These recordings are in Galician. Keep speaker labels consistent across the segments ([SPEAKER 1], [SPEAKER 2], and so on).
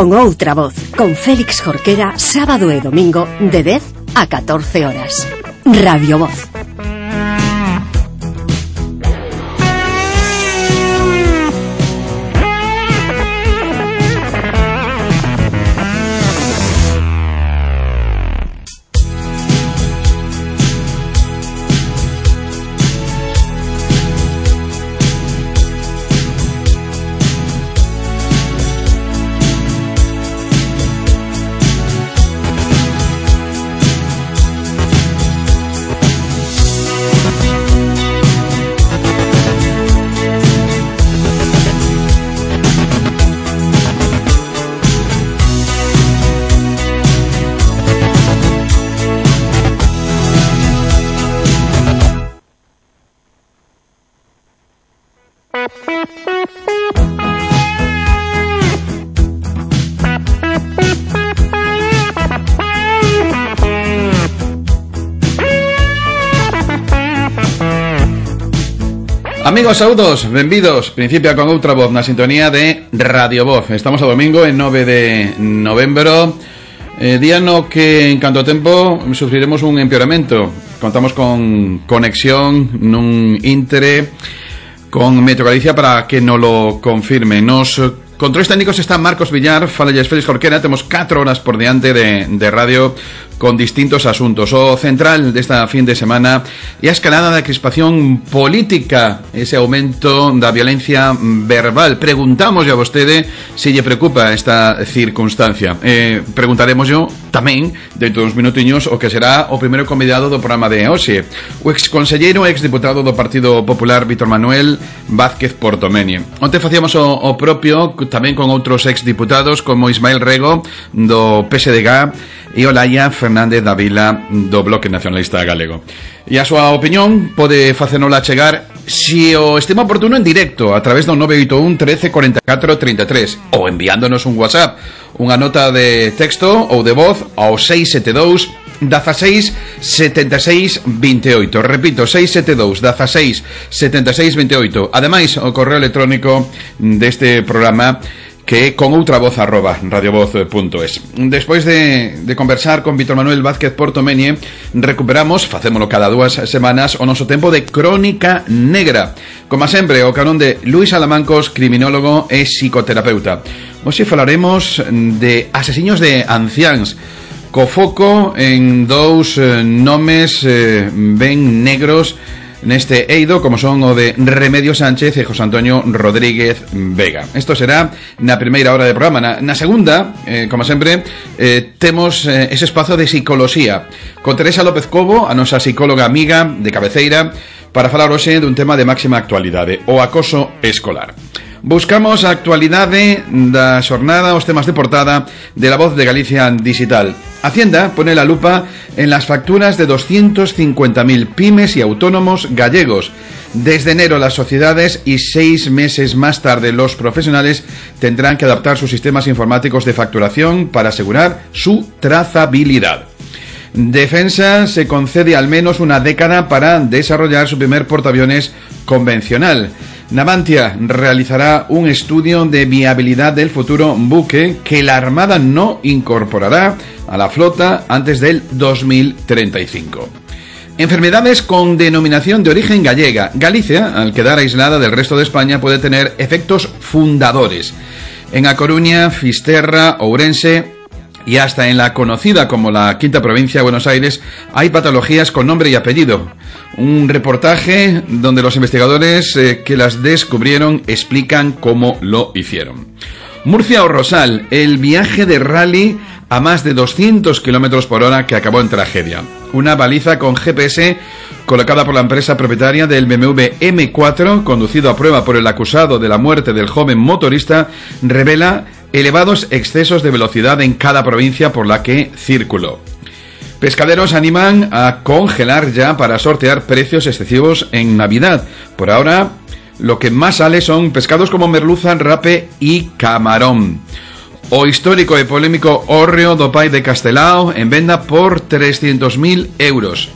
[SPEAKER 1] con outra voz, con Félix Jorquera, sábado e domingo de 10 a 14 horas. Radio Voz.
[SPEAKER 2] Amigos, saúdos, benvidos. Principia con outra voz na sintonía de Radio Voz. Estamos a domingo, en 9 de novembro, día no que en canto tempo sufriremos un empeoramento. Contamos con conexión nun íntere con Meteo Galicia para que nos lo confirme. Nos controles técnicos está Marcos Villar, falles Félix Jorquera. Temos 4 horas por diante de radio con distintos asuntos. O central desta fin de semana e a escalada da crispación política, ese aumento da violencia verbal. Preguntamos a vostede se lle preocupa esta circunstancia. Preguntaremos yo tamén dentro dos minutiños o que será o primeiro convidado do programa de hoxe, o exconselleiro e exdiputado do Partido Popular Víctor Manuel Vázquez Portomenie. Onte facíamos o propio tamén con outros exdiputados como Ismael Rego do PSDG e Olaya Fernández da Vila do Bloque Nacionalista Galego. E a súa opinión pode facenola chegar si o estima oportuno en directo a través do 981 13 44 33 ou enviándonos un WhatsApp, unha nota de texto ou de voz ao 672 16 76 28. Repito, 672 16 76 28. Ademais, o correo electrónico deste programa que con outra voz @radiovoz.es. Despois de conversar con Víctor Manuel Vázquez Portomenie, recuperamos, facémolo cada 2 semanas, o noso tempo de Crónica Negra. Como sempre, o carón de Luis Alamancos, criminólogo e psicoterapeuta. Hoxe falaremos de asesiños de anciáns, co foco en dous nomes ben negros neste eido, como son o de Remedio Sánchez e José Antonio Rodríguez Vega. Isto será na primeira hora de programa. Na segunda, como sempre, temos ese espazo de psicoloxía con Teresa López Cobo, a nosa psicóloga amiga de cabeceira, para falar hoxe dun tema de máxima actualidade, o acoso escolar. Buscamos a actualidade da xornada, os temas de portada de La Voz de Galicia Digital. Hacienda pone la lupa en las facturas de 250.000 pymes y autónomos gallegos. Desde enero las sociedades y 6 meses más tarde los profesionales tendrán que adaptar sus sistemas informáticos de facturación para asegurar su trazabilidad. Defensa se concede al menos una década para desarrollar su primer portaaviones convencional. Navantia realizará un estudio de viabilidad del futuro buque que la Armada no incorporará a la flota antes del 2035. Enfermedades con denominación de origen gallega. Galicia, al quedar aislada del resto de España, puede tener efectos fundadores. En A Coruña, Fisterra, Ourense y hasta en la conocida como la Quinta Provincia de Buenos Aires hay patologías con nombre y apellido. Un reportaje donde los investigadores que las descubrieron explican cómo lo hicieron. Murcia o Rosal, el viaje de rally a más de 200 km por hora que acabó en tragedia. Una baliza con GPS colocada por la empresa propietaria del BMW M4, conducido a prueba por el acusado de la muerte del joven motorista, revela elevados excesos de velocidad en cada provincia por la que circuló. Pescaderos animan a congelar ya para sortear precios excesivos en Navidad. Por ahora, lo que más sale son pescados como merluza, rape y camarón. O histórico e polémico hórreo do Pai de Castelao en venda por 300.000 euros.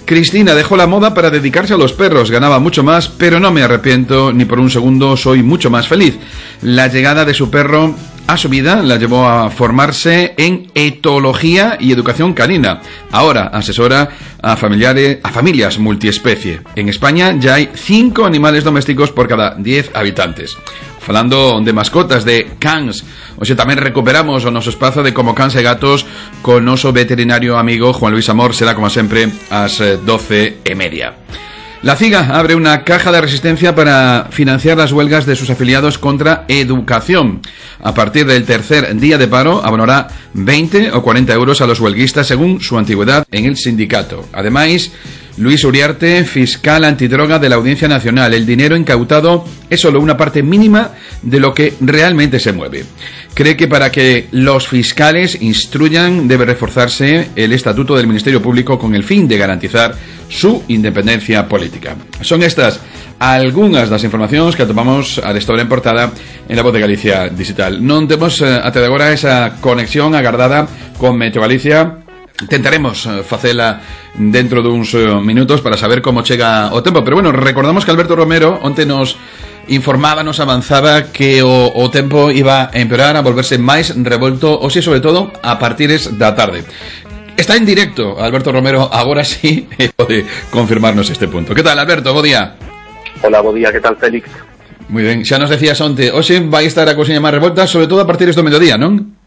[SPEAKER 2] Cristina dejó la moda para dedicarse a los perros, ganaba mucho más, pero no me arrepiento ni por un segundo, soy mucho más feliz. La llegada de su perro a su vida la llevó a formarse en etología y educación canina. Ahora asesora a familias multiespecie. En España ya hay 5 animales domésticos por cada 10 habitantes. Falando de mascotas, de cans, o sea, tamén recuperamos o noso espazo de Como Cans e Gatos con noso veterinario amigo Juan Luis Amor. Será como sempre ás 12:30. La CIGA abre una caja de resistencia para financiar las huelgas de sus afiliados contra educación. A partir del tercer día de paro, abonará 20 o 40 euros a los huelguistas según su antigüedad en el sindicato. Además, Luis Uriarte, fiscal antidroga de la Audiencia Nacional. El dinero incautado es solo una parte mínima de lo que realmente se mueve. Cree que para que los fiscales instruyan debe reforzarse el estatuto del Ministerio Público con el fin de garantizar su independencia política. Son estas algunhas das informacións que atopamos a esta hora en portada en La Voz de Galicia Digital. Non temos até agora esa conexión agardada con Meteo Galicia. Tentaremos facela dentro duns minutos para saber como chega o tempo. Pero bueno, recordamos que Alberto Romero onte nos informaba, nos avanzaba que o tempo iba a empeorar, a volverse máis revolto, ou si, sobre todo, a partires da tarde. Está en directo Alberto Romero, agora sí pode confirmarnos este punto. Que tal, Alberto? Bo día.
[SPEAKER 3] Hola, bo día, que tal, Félix?
[SPEAKER 2] Moi ben, xa nos decías onte, hoxe vai estar a cousiña máis revolta, sobre todo a partires do mediodía, non?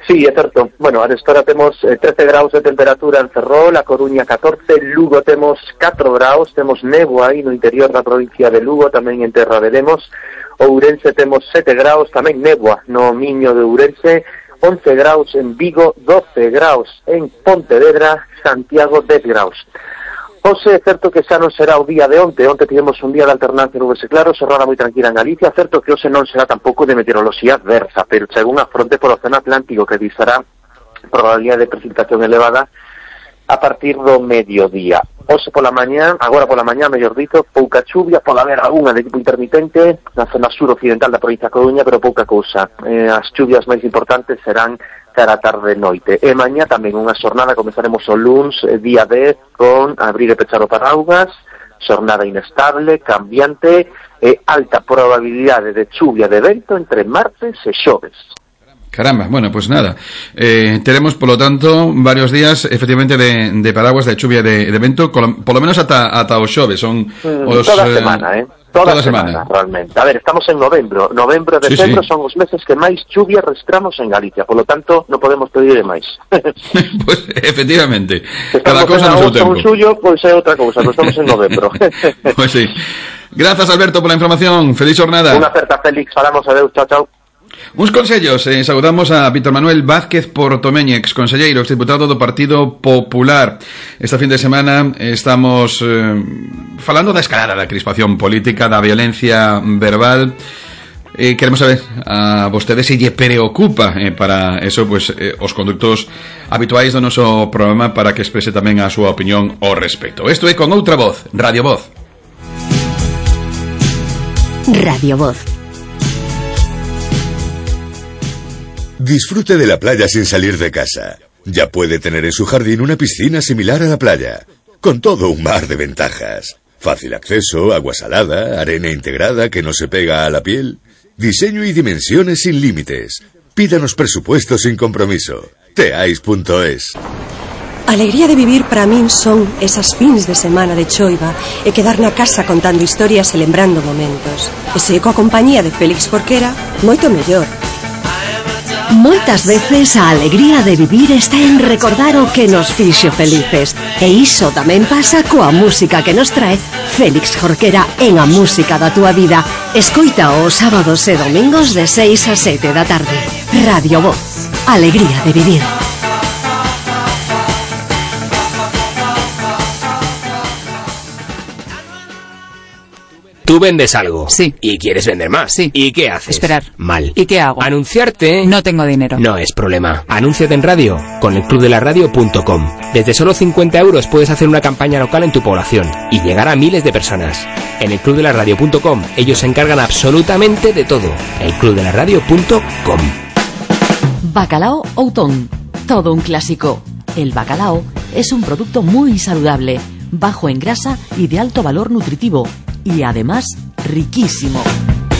[SPEAKER 3] Sí, é certo. Bueno, a esta temos 13 graus de temperatura en Ferrol, a Coruña 14, Lugo temos 4 graus, temos néboa aí no interior da provincia de Lugo, tamén en Terra de Lemos. Ourense temos 7 graus, tamén néboa no Miño de Ourense, 11 graus en Vigo, 12 graus en Pontevedra, Santiago 10 graus. Hoxe é certo que xa non será o día de onte tivemos un día de alternancia nubes e claros, xornada moi tranquila en Galicia, certo que hoxe non será tampouco de meteoroloxía adversa, pero chega unha fronte polo Océano Atlántico que disará probabilidade de precipitación elevada a partir do mediodía. Hoxe pola mañá, agora pola mañá, mellor dito, pouca chuvia, pode haber algunha de tipo intermitente na zona sur-occidental da provincia de Coruña, pero pouca cousa. As chuvias máis importantes serán cara tarde noite. E mañá tamén unha xornada, comezaremos o luns, día 10, con abrir e pechar o paraugas, xornada inestable, cambiante e alta probabilidade de chuvia de vento entre martes e xoves.
[SPEAKER 2] Caramba, bueno, pues nada, teremos, por lo tanto, varios días, efectivamente, de paraguas, de chuvia, de vento, por lo menos ata o xoves, son os...
[SPEAKER 3] Toda semana, Toda semana, realmente. A ver, estamos en novembro e decembro sí. Son os meses que máis chuvia registramos en Galicia, por lo tanto, non podemos pedir máis.
[SPEAKER 2] Pues, efectivamente,
[SPEAKER 3] cada cosa no seu tempo. Suyo, pois é outra cousa, pero estamos en novembro.
[SPEAKER 2] Pues sí. Gracias, Alberto, por la información. Feliz jornada.
[SPEAKER 3] Unha aperta, Félix. Falamos, adeus, chao, chao.
[SPEAKER 2] Uns consellos, saudamos a Víctor Manuel Vázquez Portomeño, exconselleiro, exdiputado do Partido Popular. Esta fin de semana estamos falando da escalada da crispación política, da violencia verbal. Queremos saber a vostedes se lle preocupa para eso, pues os conductos habituais do noso programa para que exprese tamén a súa opinión ao respecto. Isto é Con Outra Voz, Radio Voz.
[SPEAKER 1] Radio Voz.
[SPEAKER 4] Disfrute de la playa sin salir de casa. Ya puede tener en su jardín una piscina similar a la playa, con todo un mar de ventajas. Fácil acceso, agua salada, arena integrada que no se pega a la piel. Diseño y dimensiones sin límites. Pídanos presupuesto sin compromiso. Teais.es.
[SPEAKER 5] Alegría de vivir para min son esas fins de semana de choiva e quedar na casa contando historias e lembrando momentos. E se coa compañía de Félix Jorquera, moito mellor.
[SPEAKER 1] Moitas veces a alegría de vivir está en recordar o que nos fixo felices. E iso tamén pasa coa música que nos trae Félix Jorquera en A Música da Túa Vida. Escoita os sábados e domingos de 6 a 7 da tarde. Radio Voz. Alegría de vivir.
[SPEAKER 6] Tú vendes algo.
[SPEAKER 7] Sí.
[SPEAKER 6] Y quieres vender más.
[SPEAKER 7] Sí.
[SPEAKER 6] ¿Y qué haces?
[SPEAKER 7] Esperar.
[SPEAKER 6] Mal.
[SPEAKER 7] ¿Y qué hago?
[SPEAKER 6] Anunciarte.
[SPEAKER 7] No tengo dinero.
[SPEAKER 6] No es problema. Anúnciate en radio con elclubdelaradio.com. Desde solo 50 euros puedes hacer una campaña local en tu población y llegar a miles de personas. En elclubdelaradio.com ellos se encargan absolutamente de todo. elclubdelaradio.com.
[SPEAKER 8] Bacalao Outón. Todo un clásico. El bacalao es un producto muy saludable, bajo en grasa y de alto valor nutritivo. Y además, riquísimo.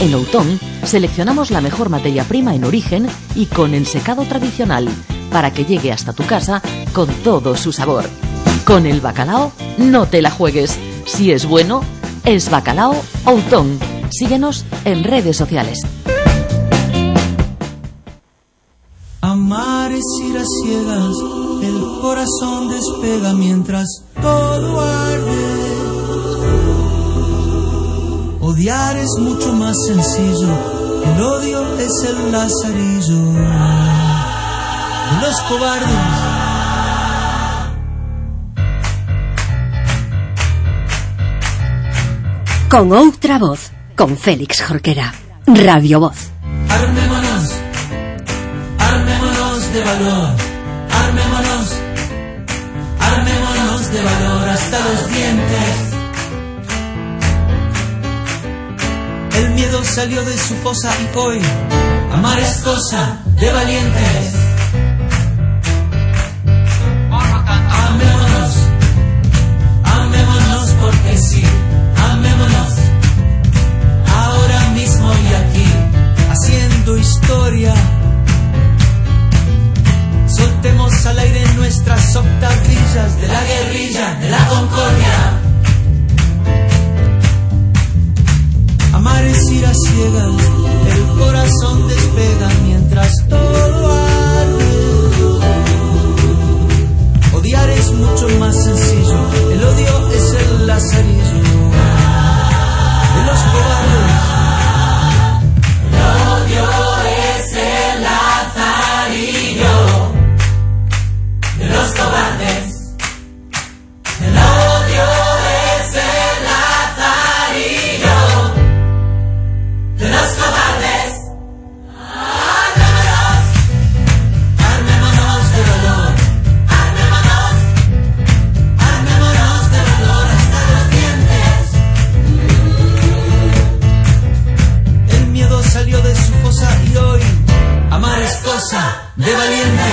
[SPEAKER 8] En Outón seleccionamos la mejor materia prima en origen y con ensecado tradicional para que llegue hasta tu casa con todo su sabor. Con el bacalao no te la juegues. Si es bueno, es Bacalao Outón. Síguenos en redes sociales.
[SPEAKER 7] Amar es ir a ciegas, el corazón despega mientras todo arde. Odiar es mucho más sencillo, el odio es el lazarillo de los cobardes.
[SPEAKER 1] Con outra voz, con Félix Jorquera, Radio Voz.
[SPEAKER 7] Armémonos, armémonos de valor, armémonos, armémonos de valor hasta los dientes. El miedo salió de su fosa y hoy amar es cosa de valientes. Amémonos, amémonos porque sí, amémonos. Ahora mismo y aquí, haciendo historia. Soltemos al aire nuestras octavillas de la guerrilla, de la concordia. Amar es ir a ciegas, el corazón despega mientras todo arde. Odiar es mucho más sencillo, el odio es el lazarillo de los cobardes. El odio es el lazarillo de los cobardes. El odio es el lazarillo de los cobardes. Armémonos, armémonos de valor, armémonos, armémonos de valor hasta los dientes. El miedo salió de su fosa y hoy amar es cosa de valiente.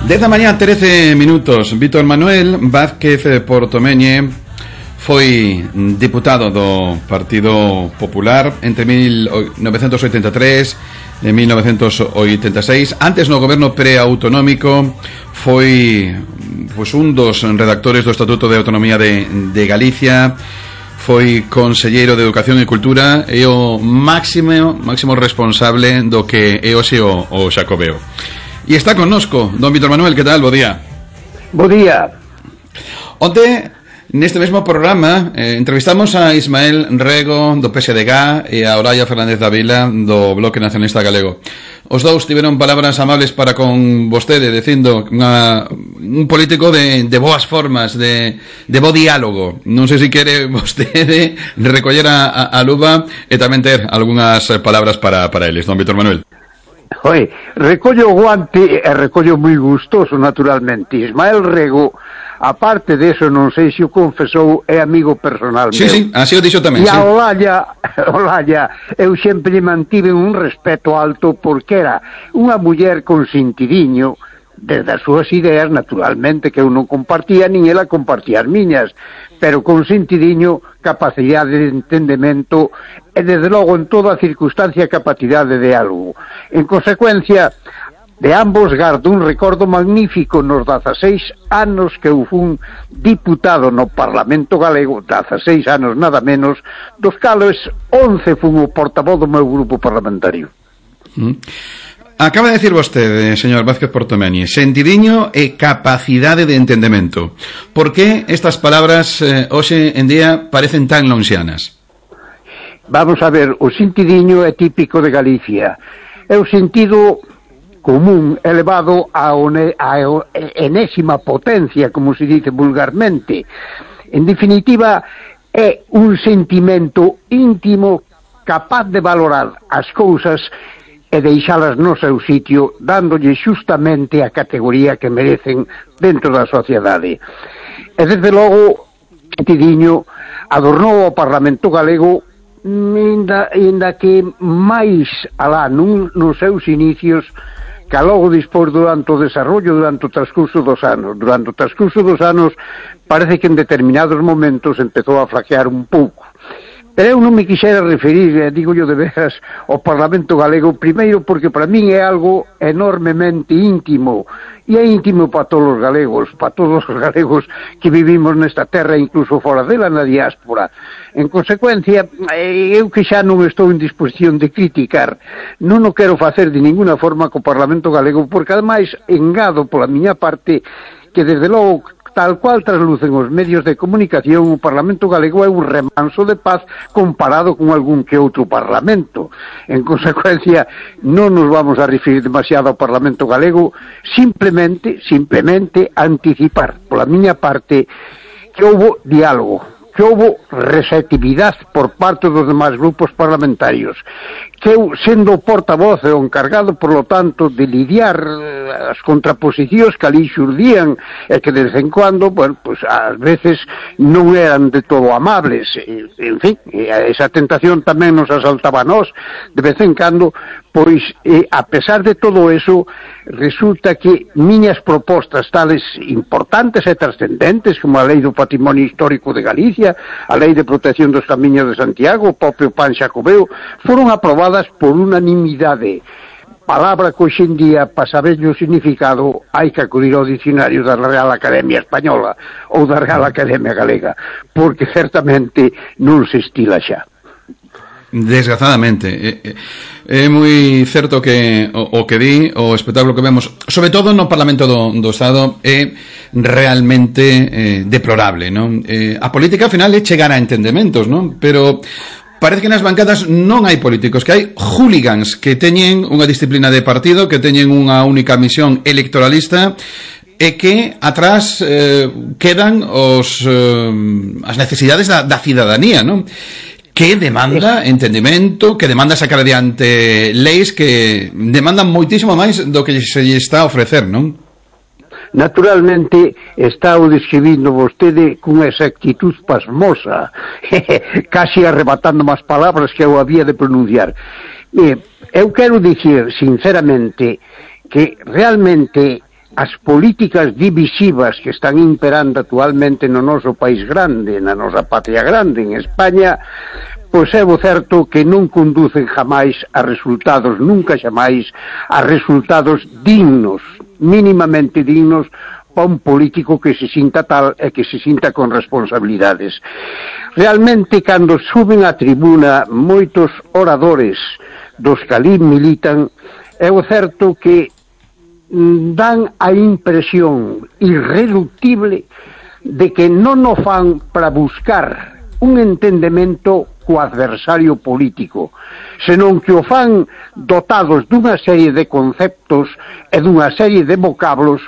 [SPEAKER 2] Desde mañá 13 minutos. Víctor Manuel Vázquez Portomeñe foi diputado do Partido Popular entre 1983 e 1986. Antes no goberno preautonómico foi un dos redactores do Estatuto de Autonomía de Galicia. Foi conselleiro de Educación e Cultura e o máximo responsable do que é hoxe o Xacobeo. E está connosco don Víctor Manuel, que tal? Bo día.
[SPEAKER 9] Bo día.
[SPEAKER 2] Onte, neste mesmo programa, entrevistamos a Ismael Rego do PSDG e a Olaya Fernández Dávila do Bloque Nacionalista Galego. Os dous tiveron palabras amables para con vostede, dicindo un político de boas formas, de bo diálogo. Non sei se quere vostede recoller a luva e tamén ter algunhas palabras para eles, don Víctor Manuel.
[SPEAKER 9] Oi, recollo o guante e recollo moi gustoso, naturalmente. Ismael Rego, aparte deso, non sei se o confesou, é amigo personal meu.
[SPEAKER 2] Sí, así o dixo tamén.
[SPEAKER 9] E a Olaya, eu sempre mantive un respeto alto porque era unha muller con sentidiño, desde as súas ideas, naturalmente, que eu non compartía, nin ela compartía as miñas, pero con sentidiño, capacidade de entendemento e, desde logo, en toda a circunstancia, capacidade de diálogo. En consecuencia, de ambos gardo un recordo magnífico nos 16 anos que eu fun diputado no Parlamento Galego, 16 anos nada menos, dos cales 11 fun o portavoz do meu grupo parlamentario.
[SPEAKER 2] Acaba de decir vostede, señor Vázquez Portomeñe, sentidiño e capacidade de entendemento. Por que estas palabras hoxe en día parecen tan lonxianas?
[SPEAKER 9] Vamos a ver, o sentidiño é típico de Galicia. É o sentido común elevado a enésima potencia, como se dice vulgarmente. En definitiva, é un sentimento íntimo capaz de valorar as cousas e deixalas no seu sitio, dándolle xustamente a categoría que merecen dentro da sociedade. E desde logo, Tidiño adornou o Parlamento galego ainda que máis alá nos seus inicios que logo dispor durante o desarrollo, durante o transcurso dos anos. Durante o transcurso dos anos parece que en determinados momentos empezou a flaquear un pouco. Pero eu non me quixera referir, digo yo de veras, ao Parlamento galego, primeiro porque para min é algo enormemente íntimo, e é íntimo para todos os galegos que vivimos nesta terra, incluso fora dela, na diáspora. En consecuencia, eu que xa non estou en disposición de criticar, non o quero facer de ninguna forma co Parlamento galego, porque ademais engado pola miña parte que desde logo, tal cual traslucen os medios de comunicación, o Parlamento galego é un remanso de paz comparado con algún que outro Parlamento. En consecuencia, non nos vamos a referir demasiado ao Parlamento galego, simplemente anticipar, pola miña parte, que houbo diálogo, que houbo receptividade por parte dos demais grupos parlamentarios, que eu, sendo o portavoz e o encargado, por lo tanto, de lidiar as contraposicións que ali xurdían e que, de vez en cuando, bueno, pues, ás veces non eran de todo amables. En fin, esa tentación tamén nos asaltaba a nós, de vez en cando, pois, a pesar de todo eso, resulta que miñas propostas tales importantes e trascendentes, como a Lei do Patrimonio Histórico de Galicia, a Lei de Protección dos Camiños de Santiago, o propio Pan Xacobeo, foron aprobadas por unanimidade. Palabra que hoxe en día, para saber o significado, hai que acudir ao dicionario da Real Academia Española ou da Real Academia Galega, porque certamente non se estila xa.
[SPEAKER 2] Desgraciadamente é moi certo que o que di, o espectáculo que vemos, sobre todo no Parlamento do Estado, é realmente deplorable, non? A política ao final é chegar a entendementos, non? Pero parece que nas bancadas non hai políticos, que hai hooligans que teñen unha disciplina de partido, que teñen unha única misión electoralista, e que atrás quedan as necesidades da cidadanía, non? Que demanda entendimento, que demanda sacar adiante leis que demandan moitísimo máis do que se lle está a ofrecer, non?
[SPEAKER 9] Naturalmente, está o describindo vostede cunha exactitud pasmosa, casi arrebatando as palabras que eu había de pronunciar. Eu quero dicir, sinceramente, que realmente as políticas divisivas que están imperando actualmente no noso país grande, na nosa patria grande, en España, pois é o certo que non conducen jamais a resultados, nunca xamais, a resultados dignos, mínimamente dignos, para un político que se sinta tal e que se sinta con responsabilidades. Realmente, cando suben á tribuna moitos oradores dos que ali militan, é o certo que dan a impresión irreductible de que non o fan para buscar un entendemento co adversario político, senón que o fan dotados dunha serie de conceptos e dunha serie de vocablos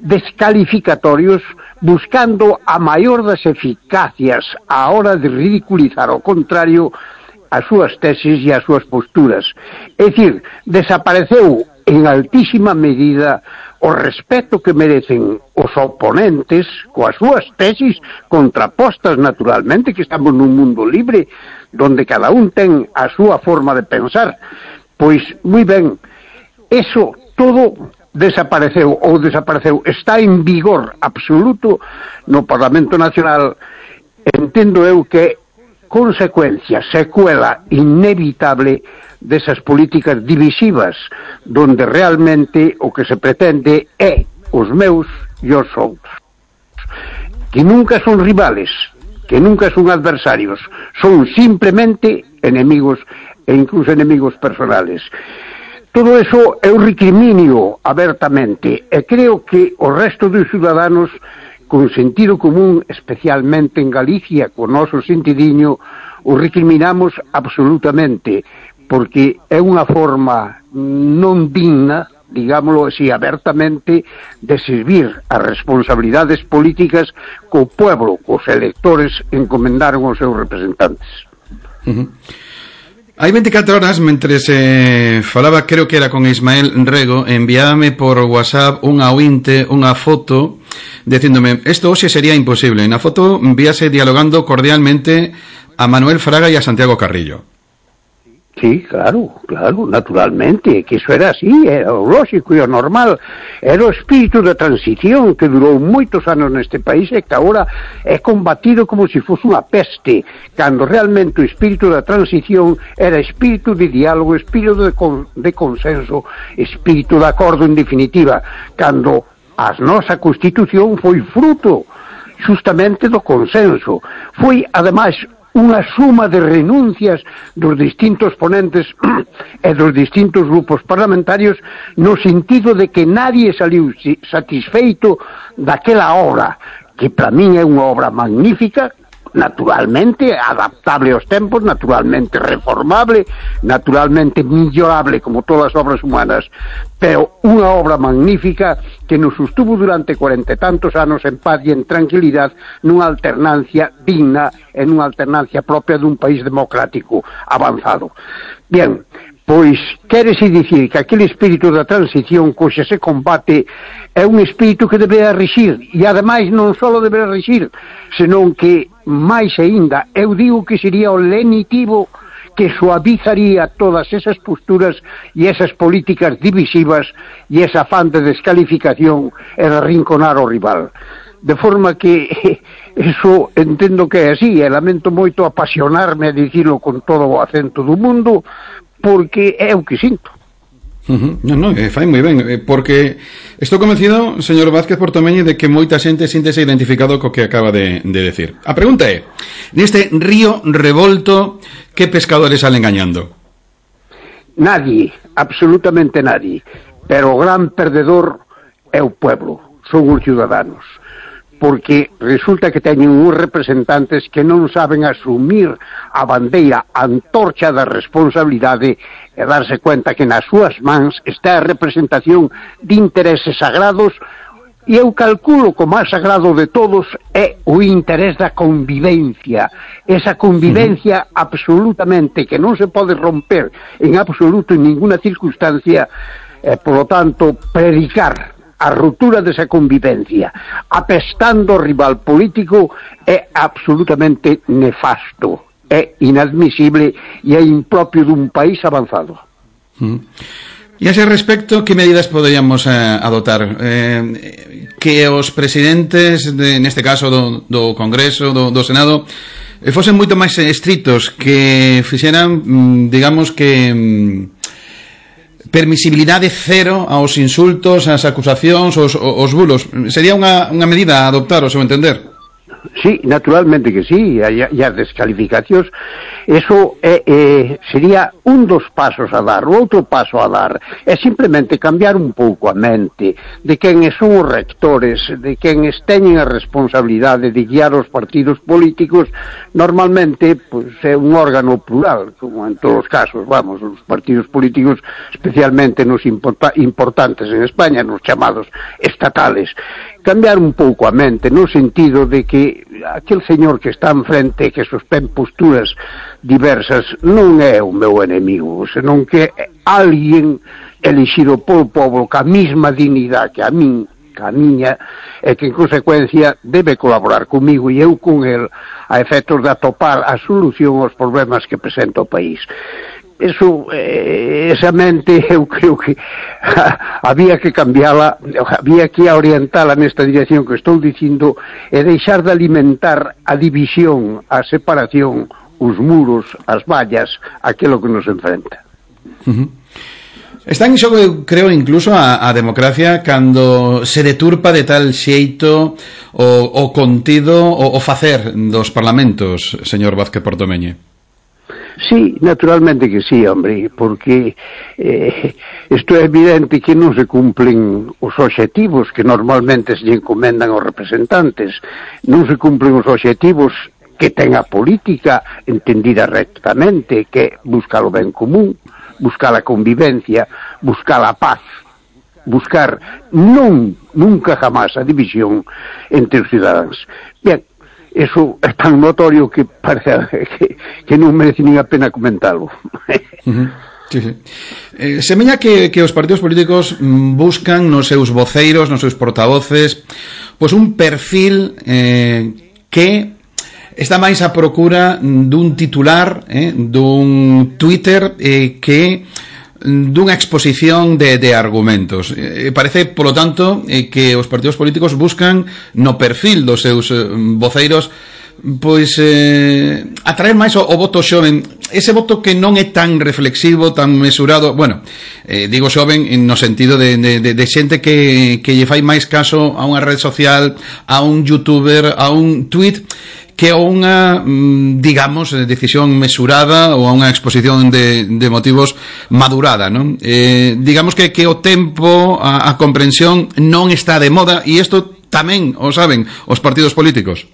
[SPEAKER 9] descalificatorios, buscando a maior das eficacias á hora de ridiculizar ao contrario as súas tesis e as súas posturas. É dicir, desapareceu en altísima medida o respeto que merecen os oponentes coas súas tesis contrapostas, naturalmente, que estamos nun mundo libre donde cada un ten a súa forma de pensar. Pois, moi ben, eso todo desapareceu, está en vigor absoluto no Parlamento Nacional. Entendo eu que consecuencia, secuela inevitable desas políticas divisivas, donde realmente o que se pretende é os meus e os outros, que nunca son rivales, que nunca son adversarios, son simplemente enemigos e incluso enemigos personales. Todo eso eu recriminio abertamente e creo que o resto dos ciudadanos con sentido común, especialmente en Galicia, con noso sentidiño, o recriminamos absolutamente, porque é unha forma non digna digámoslo así, abertamente, de servir as responsabilidades políticas que o pueblo, os electores, encomendaron aos seus representantes.
[SPEAKER 2] Hai 24 horas, mentre falaba, creo que era con Ismael Rego, enviábame por WhatsApp unha foto dicíndome, isto hoxe sería imposible. Na foto víase dialogando cordialmente a Manuel Fraga e a Santiago Carrillo.
[SPEAKER 9] Sí, claro, naturalmente, que iso era así, era o lógico e o normal, era o espírito da transición que durou moitos anos neste país e que agora é combatido como se fosse unha peste, cando realmente o espírito da transición era espírito de diálogo, espírito de consenso, espírito de acordo en definitiva, cando a nosa Constitución foi fruto justamente do consenso, foi ademais unha suma de renuncias dos distintos ponentes e dos distintos grupos parlamentarios no sentido de que nadie saliu satisfeito daquela obra, que para min é unha obra magnífica, naturalmente adaptable aos tempos, naturalmente reformable, naturalmente millorable como todas as obras humanas, pero unha obra magnífica que nos sostuvo durante 40 e tantos anos en paz e en tranquilidade nunha alternancia digna e nunha alternancia propia dun país democrático avanzado. Bien, pois quérese dicir que aquele espírito da transición coxa se combate é un espírito que deberá rexir, e ademais non só deberá rexir, senón que máis aínda, eu digo que sería o lenitivo que suavizaría todas esas posturas e esas políticas divisivas e esa afán de descalificación e de arrinconar o rival. De forma que eso entendo que é así, e lamento moito apasionarme a dicirlo con todo o acento do mundo, porque é o que sinto.
[SPEAKER 2] Non, fai moi ben, porque estou convencido, señor Vázquez Portomeñi, de que moita xente síntese identificado co que acaba de decir. A pregunta é, neste río revolto, que pescadores salen gañando?
[SPEAKER 9] Nadie, absolutamente nadie, pero o gran perdedor é o pueblo, son os ciudadanos, porque resulta que teñen uns representantes que non saben asumir a bandeira, a antorcha da responsabilidade e darse cuenta que nas súas mans está a representación de intereses sagrados, e eu calculo que o máis sagrado de todos é o interés da convivencia, esa convivencia absolutamente que non se pode romper en absoluto en ninguna circunstancia, por lo tanto, predicar a ruptura desa convivencia apestando o rival político é absolutamente nefasto, é inadmisible e é impropio dun país avanzado.
[SPEAKER 2] E a ese respecto, que medidas poderíamos adotar? Que os presidentes, neste caso do Congreso, do Senado, fosen moito máis estritos, que fixeran, digamos que permisibilidade cero aos insultos, ás acusacións, aos bulos. Sería unha medida a adoptar, ao seu entender?
[SPEAKER 9] Sí, naturalmente que sí, e as descalificacións, eso sería un dos pasos a dar. O outro paso a dar é simplemente cambiar un pouco a mente de quen son os rectores, de quen teñen a responsabilidade de guiar os partidos políticos. Normalmente, pues, é un órgano plural, como en todos os casos, vamos, os partidos políticos, especialmente nos importantes en España, nos chamados estatales. Cambiar un pouco a mente, no sentido de que aquel señor que está enfrente, que sostén posturas diversas, non é o meu enemigo, senón que é alguén elixido polo povo ca mesma dignidade que a miña, e que en consecuencia debe colaborar comigo e eu con el a efectos de atopar a solución aos problemas que presenta o país. Eso, esa mente, eu creo que había que cambiala, había que orientala nesta dirección que estou dicindo, e deixar de alimentar a división, a separación, os muros, as vallas, aquilo que nos enfrenta.
[SPEAKER 2] Está en xogo, eu creo, incluso a democracia cando se deturpa de tal xeito o contido, o facer dos parlamentos, señor Vázquez Portomeñi.
[SPEAKER 9] Sí, naturalmente que sí, hombre, porque isto é evidente que non se cumplen os obxectivos que normalmente se encomendan aos representantes, non se cumplen os obxectivos que ten a política entendida rectamente, que buscar o ben común, buscar a convivencia, buscar a paz, buscar nunca jamás a división entre os cidadáns. Ben, eso é tan notorio que parece que non merece nin a pena comentalo.
[SPEAKER 2] Sí, sí. Semella que os partidos políticos buscan nos seus voceiros, nos seus portavoces, pois un perfil que está máis a procura dun titular, dun Twitter que dunha exposición de argumentos. Parece, polo tanto, que os partidos políticos buscan no perfil dos seus voceiros pois atraer máis o voto xoven, ese voto que non é tan reflexivo, tan mesurado, bueno, digo xoven no sentido de xente que lle fai máis caso a unha rede social, a un youtuber, a un tweet, que a unha, digamos, decisión mesurada ou a unha exposición de motivos madurada, non? Digamos que o tempo, a comprensión non está de moda, e isto tamén o saben os partidos políticos.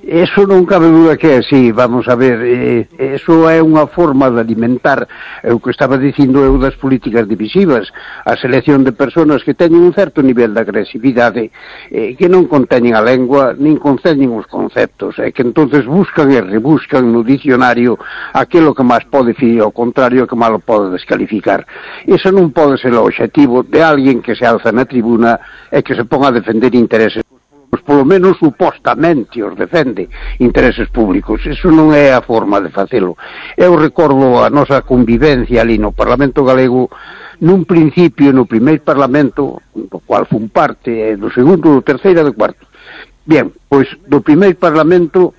[SPEAKER 9] Eso non cabe duda que é así, vamos a ver, eso é unha forma de alimentar o que estaba dicindo eu das políticas divisivas, a selección de persoas que teñen un certo nivel de agresividade, que non conteñen a lengua, nin conteñen os conceptos, e que entonces buscan e rebuscan no dicionario aquilo que máis pode decir, ao contrario que máis lo pode descalificar. Eso non pode ser o obxectivo de alguén que se alza na tribuna e que se ponga a defender intereses, polo menos supostamente os defende intereses públicos. Eso non é a forma de facelo. Eu recordo a nosa convivencia ali no Parlamento Galego, nun principio, no primeiro Parlamento, do cual fun parte, do segundo, do terceiro e do cuarto. Bien, pois do primeiro Parlamento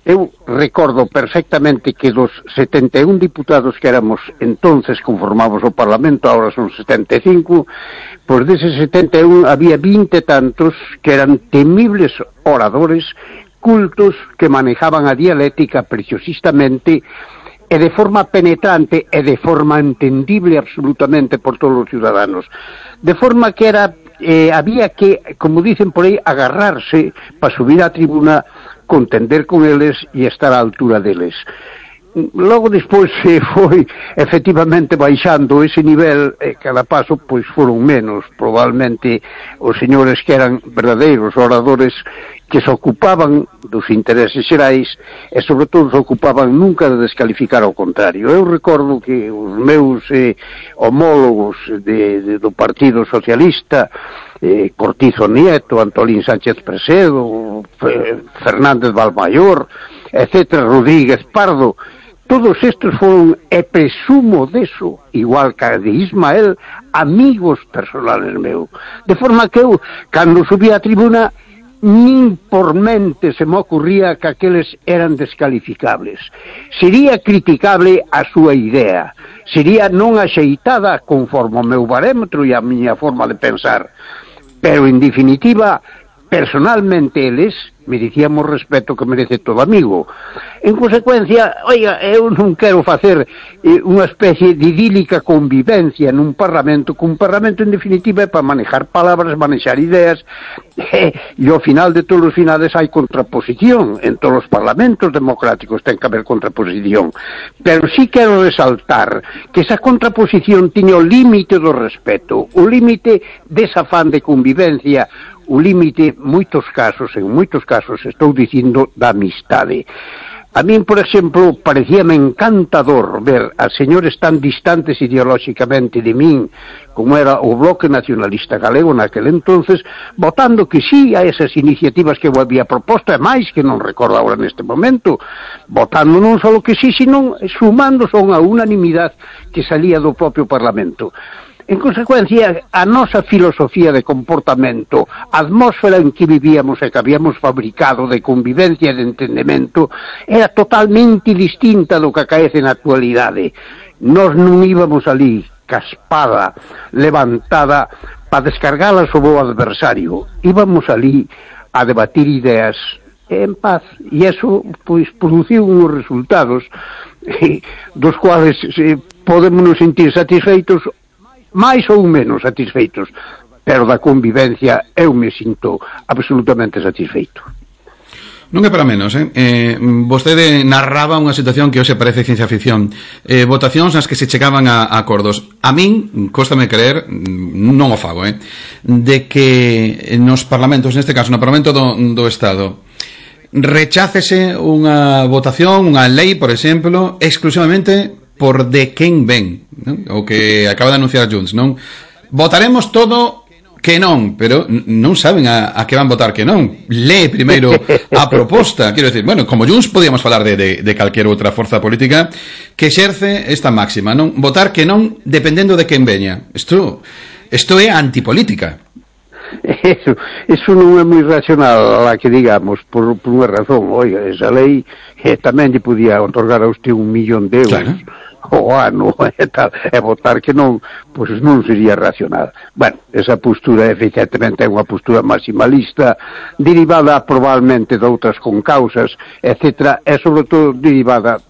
[SPEAKER 9] eu recordo perfectamente que dos 71 diputados que éramos entonces conformamos o Parlamento, agora son 75, pois deses 71 había 20 e tantos que eran temibles oradores, cultos, que manejaban a dialéctica preciosistamente e de forma penetrante e de forma entendible absolutamente por todos os ciudadanos. De forma que era había que, como dicen por aí, agarrarse para subir á tribuna, contender con eles e estar á altura deles. Logo despois se foi efectivamente baixando ese nivel, cada paso pois foron menos, probablemente os señores que eran verdadeiros oradores que se ocupaban dos intereses xerais e sobre todo se ocupaban nunca de descalificar ao contrario. Eu recordo que os meus homólogos do Partido Socialista, Cortizo Nieto, Antolín Sánchez Presedo, Fernández Valmayor, etc., Rodríguez Pardo, todos estes foron, e presumo deso, igual que de Ismael, amigos personales meu. De forma que eu, cando subía a tribuna, nin por mente se me ocurría que aqueles eran descalificables. Sería criticable a súa idea, sería non axeitada conforme o meu barómetro e a miña forma de pensar, pero en definitiva, personalmente eles merecíamos respeto que merece todo amigo. En consecuencia, oiga, eu non quero facer unha especie de idílica convivencia nun parlamento, que un parlamento en definitiva é para manejar palabras, manejar ideas, e ao final de todos os finales hai contraposición. En todos os parlamentos democráticos ten que haber contraposición, pero sí quero resaltar que esa contraposición tiña o límite do respeto, o límite desa afán de convivencia, o límite, en moitos casos, estou dicindo, da amistade. A min, por exemplo, parecíame encantador ver a señores tan distantes ideolóxicamente de min, como era o Bloque Nacionalista Galego naquele entonces, votando que sí a esas iniciativas que eu había proposto, e máis que non recordo agora neste momento, votando non só que sí, sino sumando son a unanimidade que salía do propio Parlamento. En consecuencia, a nosa filosofía de comportamento, a atmósfera en que vivíamos e que habíamos fabricado de convivencia e de entendemento, era totalmente distinta do que acaece na actualidade. Nós non íbamos ali, caspada, levantada, para descargala sobre o adversario. Íbamos ali a debatir ideas en paz, e eso, pois, produciu uns resultados dos cuales podemos nos sentir satisfeitos, máis ou menos satisfeitos, pero da convivencia eu me sinto absolutamente satisfeito.
[SPEAKER 2] Non é para menos, vostede narraba unha situación que hoxe parece ciencia ficción, votacións nas que se chegaban a acordos. A min, cóstame creer, non o fago, de que nos parlamentos, neste caso no Parlamento do Estado, rechácese unha votación, unha lei, por exemplo, exclusivamente por de quen ven, non? O que acaba de anunciar Junts, non? Votaremos todo que non, pero non saben a que van votar que non. Lee primeiro a proposta. Quero decir, bueno, como Junts podíamos falar de calquera outra forza política que exerce esta máxima, non? Votar que non dependendo de quen veña. Isto é antipolítica.
[SPEAKER 9] Eso non é moi racional a que digamos, por unha razón. Oiga, esa lei tamén lle podía otorgar a usted 1 millón de euros. Claro. O ano e tal, e votar que non, pois non sería racional. Bueno, esa postura efectivamente é unha postura maximalista, derivada probablemente de outras concausas, etc., e sobre todo derivada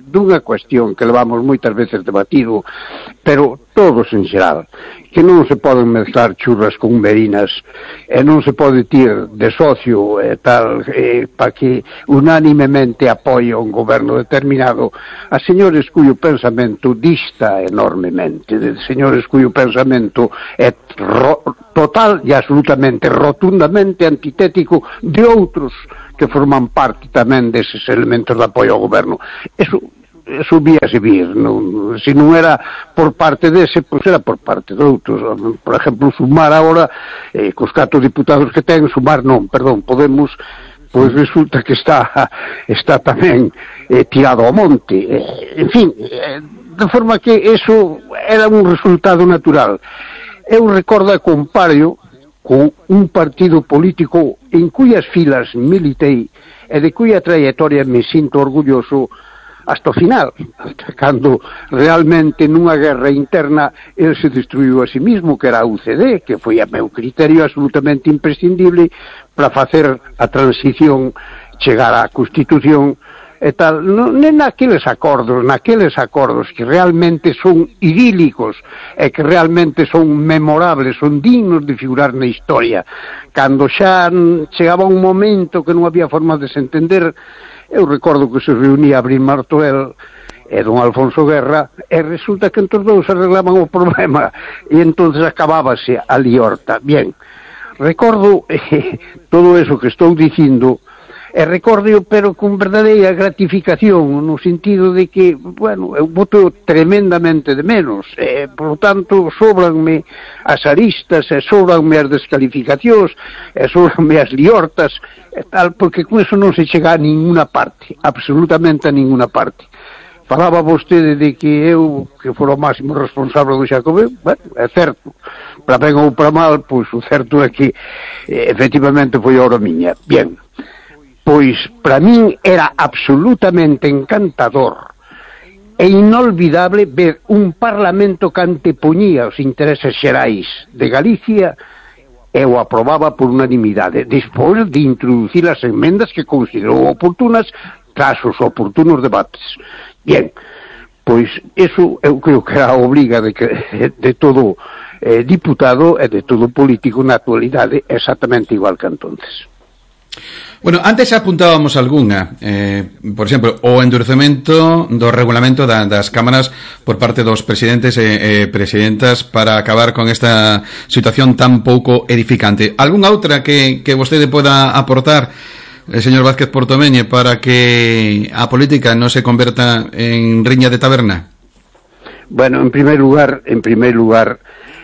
[SPEAKER 9] dunha cuestión que levamos moitas veces debatido, pero todos en xeral, que non se poden mezclar churras con merinas, e non se pode tir de socio e tal, para que unánimemente apoie un goberno determinado a señores cuyo pensamento dista enormemente, de señores cuyo pensamento é total e absolutamente, rotundamente antitético de outros que forman parte tamén deses elementos de apoio ao goberno. Eso víase vir, non? Se non era por parte dese, pois era por parte de outros. Por exemplo, Sumar agora, cos 4 diputados que ten, Sumar non, perdón, Podemos, pois resulta que está tamén tirado ao monte. En fin, de forma que eso era un resultado natural. Eu recordo e comparo con un partido político en cuyas filas militei e de cuya trayectoria me sinto orgulloso hasta o final, cando realmente nunha guerra interna el se destruiu a sí mismo, que era a UCD, que foi a meu criterio absolutamente imprescindible para facer a transición, chegar á Constitución e tal, naqueles acordos que realmente son idílicos e que realmente son memorables, son dignos de figurar na historia. Cando xa chegaba un momento que non había forma de se entender, eu recordo que se reunía Abril Martorell e don Alfonso Guerra, e resulta que entre os dous arreglaban o problema, e entonces acabábase a liorta. Bien, recordo todo eso que estou dicindo, e recordo, pero con verdadeira gratificación, no sentido de que, bueno, eu voto tremendamente de menos, por lo tanto, sobranme as aristas, e sobranme as descalificacións, e sobranme as liortas, e tal, porque con eso non se chega a ninguna parte, absolutamente a ninguna parte. Falaba vostede de que eu, que fora o máximo responsable do Xacobeo, bueno, é certo, para ben ou para mal, pois o certo é que, efectivamente, foi a hora miña. Bien, pois para min era absolutamente encantador e inolvidable ver un parlamento que antepoñía os intereses xerais de Galicia e o aprobaba por unanimidade, despois de introducir as emendas que considerou oportunas tras os oportunos debates. Bien, pois eso eu creo que era a obriga de todo diputado e de todo político na actualidade, exactamente igual que entonces.
[SPEAKER 2] Bueno, antes apuntábamos algunha, por exemplo, o endurecemento do regulamento das cámaras por parte dos presidentes e presidentas para acabar con esta situación tan pouco edificante. Algúnha outra que vostede poda aportar, señor Vázquez Portomeñe, para que a política non se converta en riña de taberna?
[SPEAKER 9] Bueno, en primeiro lugar,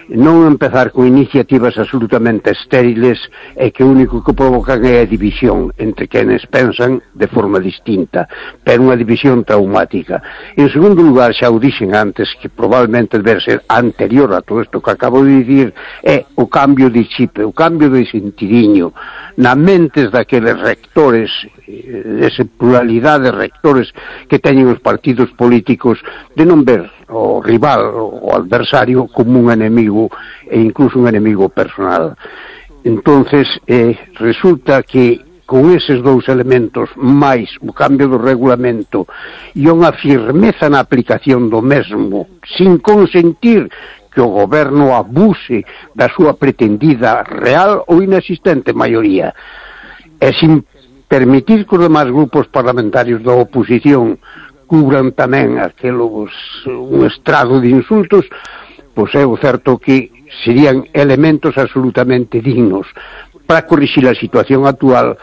[SPEAKER 9] non empezar con iniciativas absolutamente estériles e que o único que provocan é a división entre quenes pensan de forma distinta, pero unha división traumática. En segundo lugar, xa o dixen antes, que probablemente debe ser anterior a todo isto que acabo de dicir, é o cambio de chip, o cambio de sentidiño na mentes daqueles rectores, esa pluralidade de rectores que teñen os partidos políticos, de non ver o rival, o adversario, como un enemigo e incluso un enemigo personal. Entonces, resulta que con eses dous elementos, máis o cambio do regulamento e unha firmeza na aplicación do mesmo, sin consentir que o goberno abuse da súa pretendida real ou inexistente maioría, e sin permitir que os demás grupos parlamentarios da oposición cubran tamén un estrado de insultos, pois é o certo que serían elementos absolutamente dignos para corrixir a situación actual,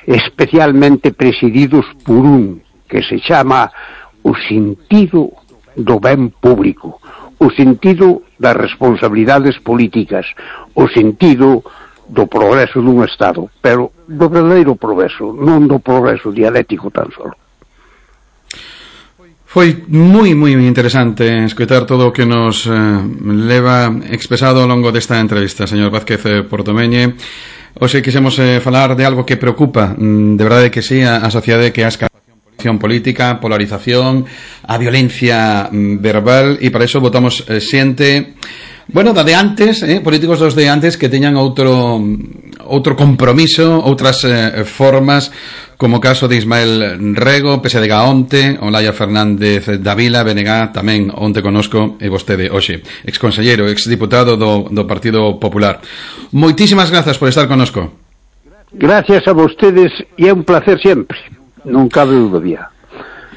[SPEAKER 9] especialmente presididos por un que se chama o sentido do ben público, o sentido das responsabilidades políticas, o sentido do progreso dun Estado, pero do verdadeiro progreso, non do progreso dialéctico tan solo.
[SPEAKER 2] Foi moi interesante escoitar todo o que nos leva expresado ao longo desta entrevista, señor Vázquez Portomeñe. Hoxe quixemos falar de algo que preocupa, de verdade que sí, a sociedade, que é a escalación política, polarización, a violencia verbal, e para iso votamos xente, bueno, da de antes, políticos dos de antes que teñan outro compromiso, outras formas, como o caso de Ismael Rego, PSDG onte, Olaya Fernández Davila, BNG tamén onte conosco, e vostede hoxe, exconselleiro, exdiputado do Partido Popular. Moitísimas grazas por estar conosco. Gracias a vostedes, e é un placer sempre, non cabe dúbida.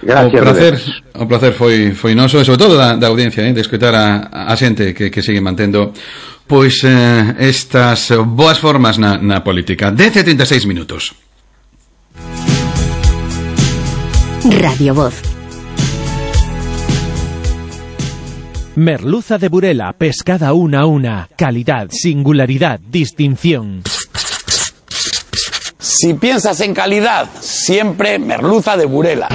[SPEAKER 2] Gracias. O placer foi noso, e sobre todo da audiencia, de escoitar a xente que sigue mantendo pois estas boas formas na política. 10:36 minutos.
[SPEAKER 1] Radio Voz.
[SPEAKER 10] Merluza de Burela, pescada una a una, calidad, singularidad, distinción.
[SPEAKER 11] Si piensas en calidad, siempre merluza de Burela.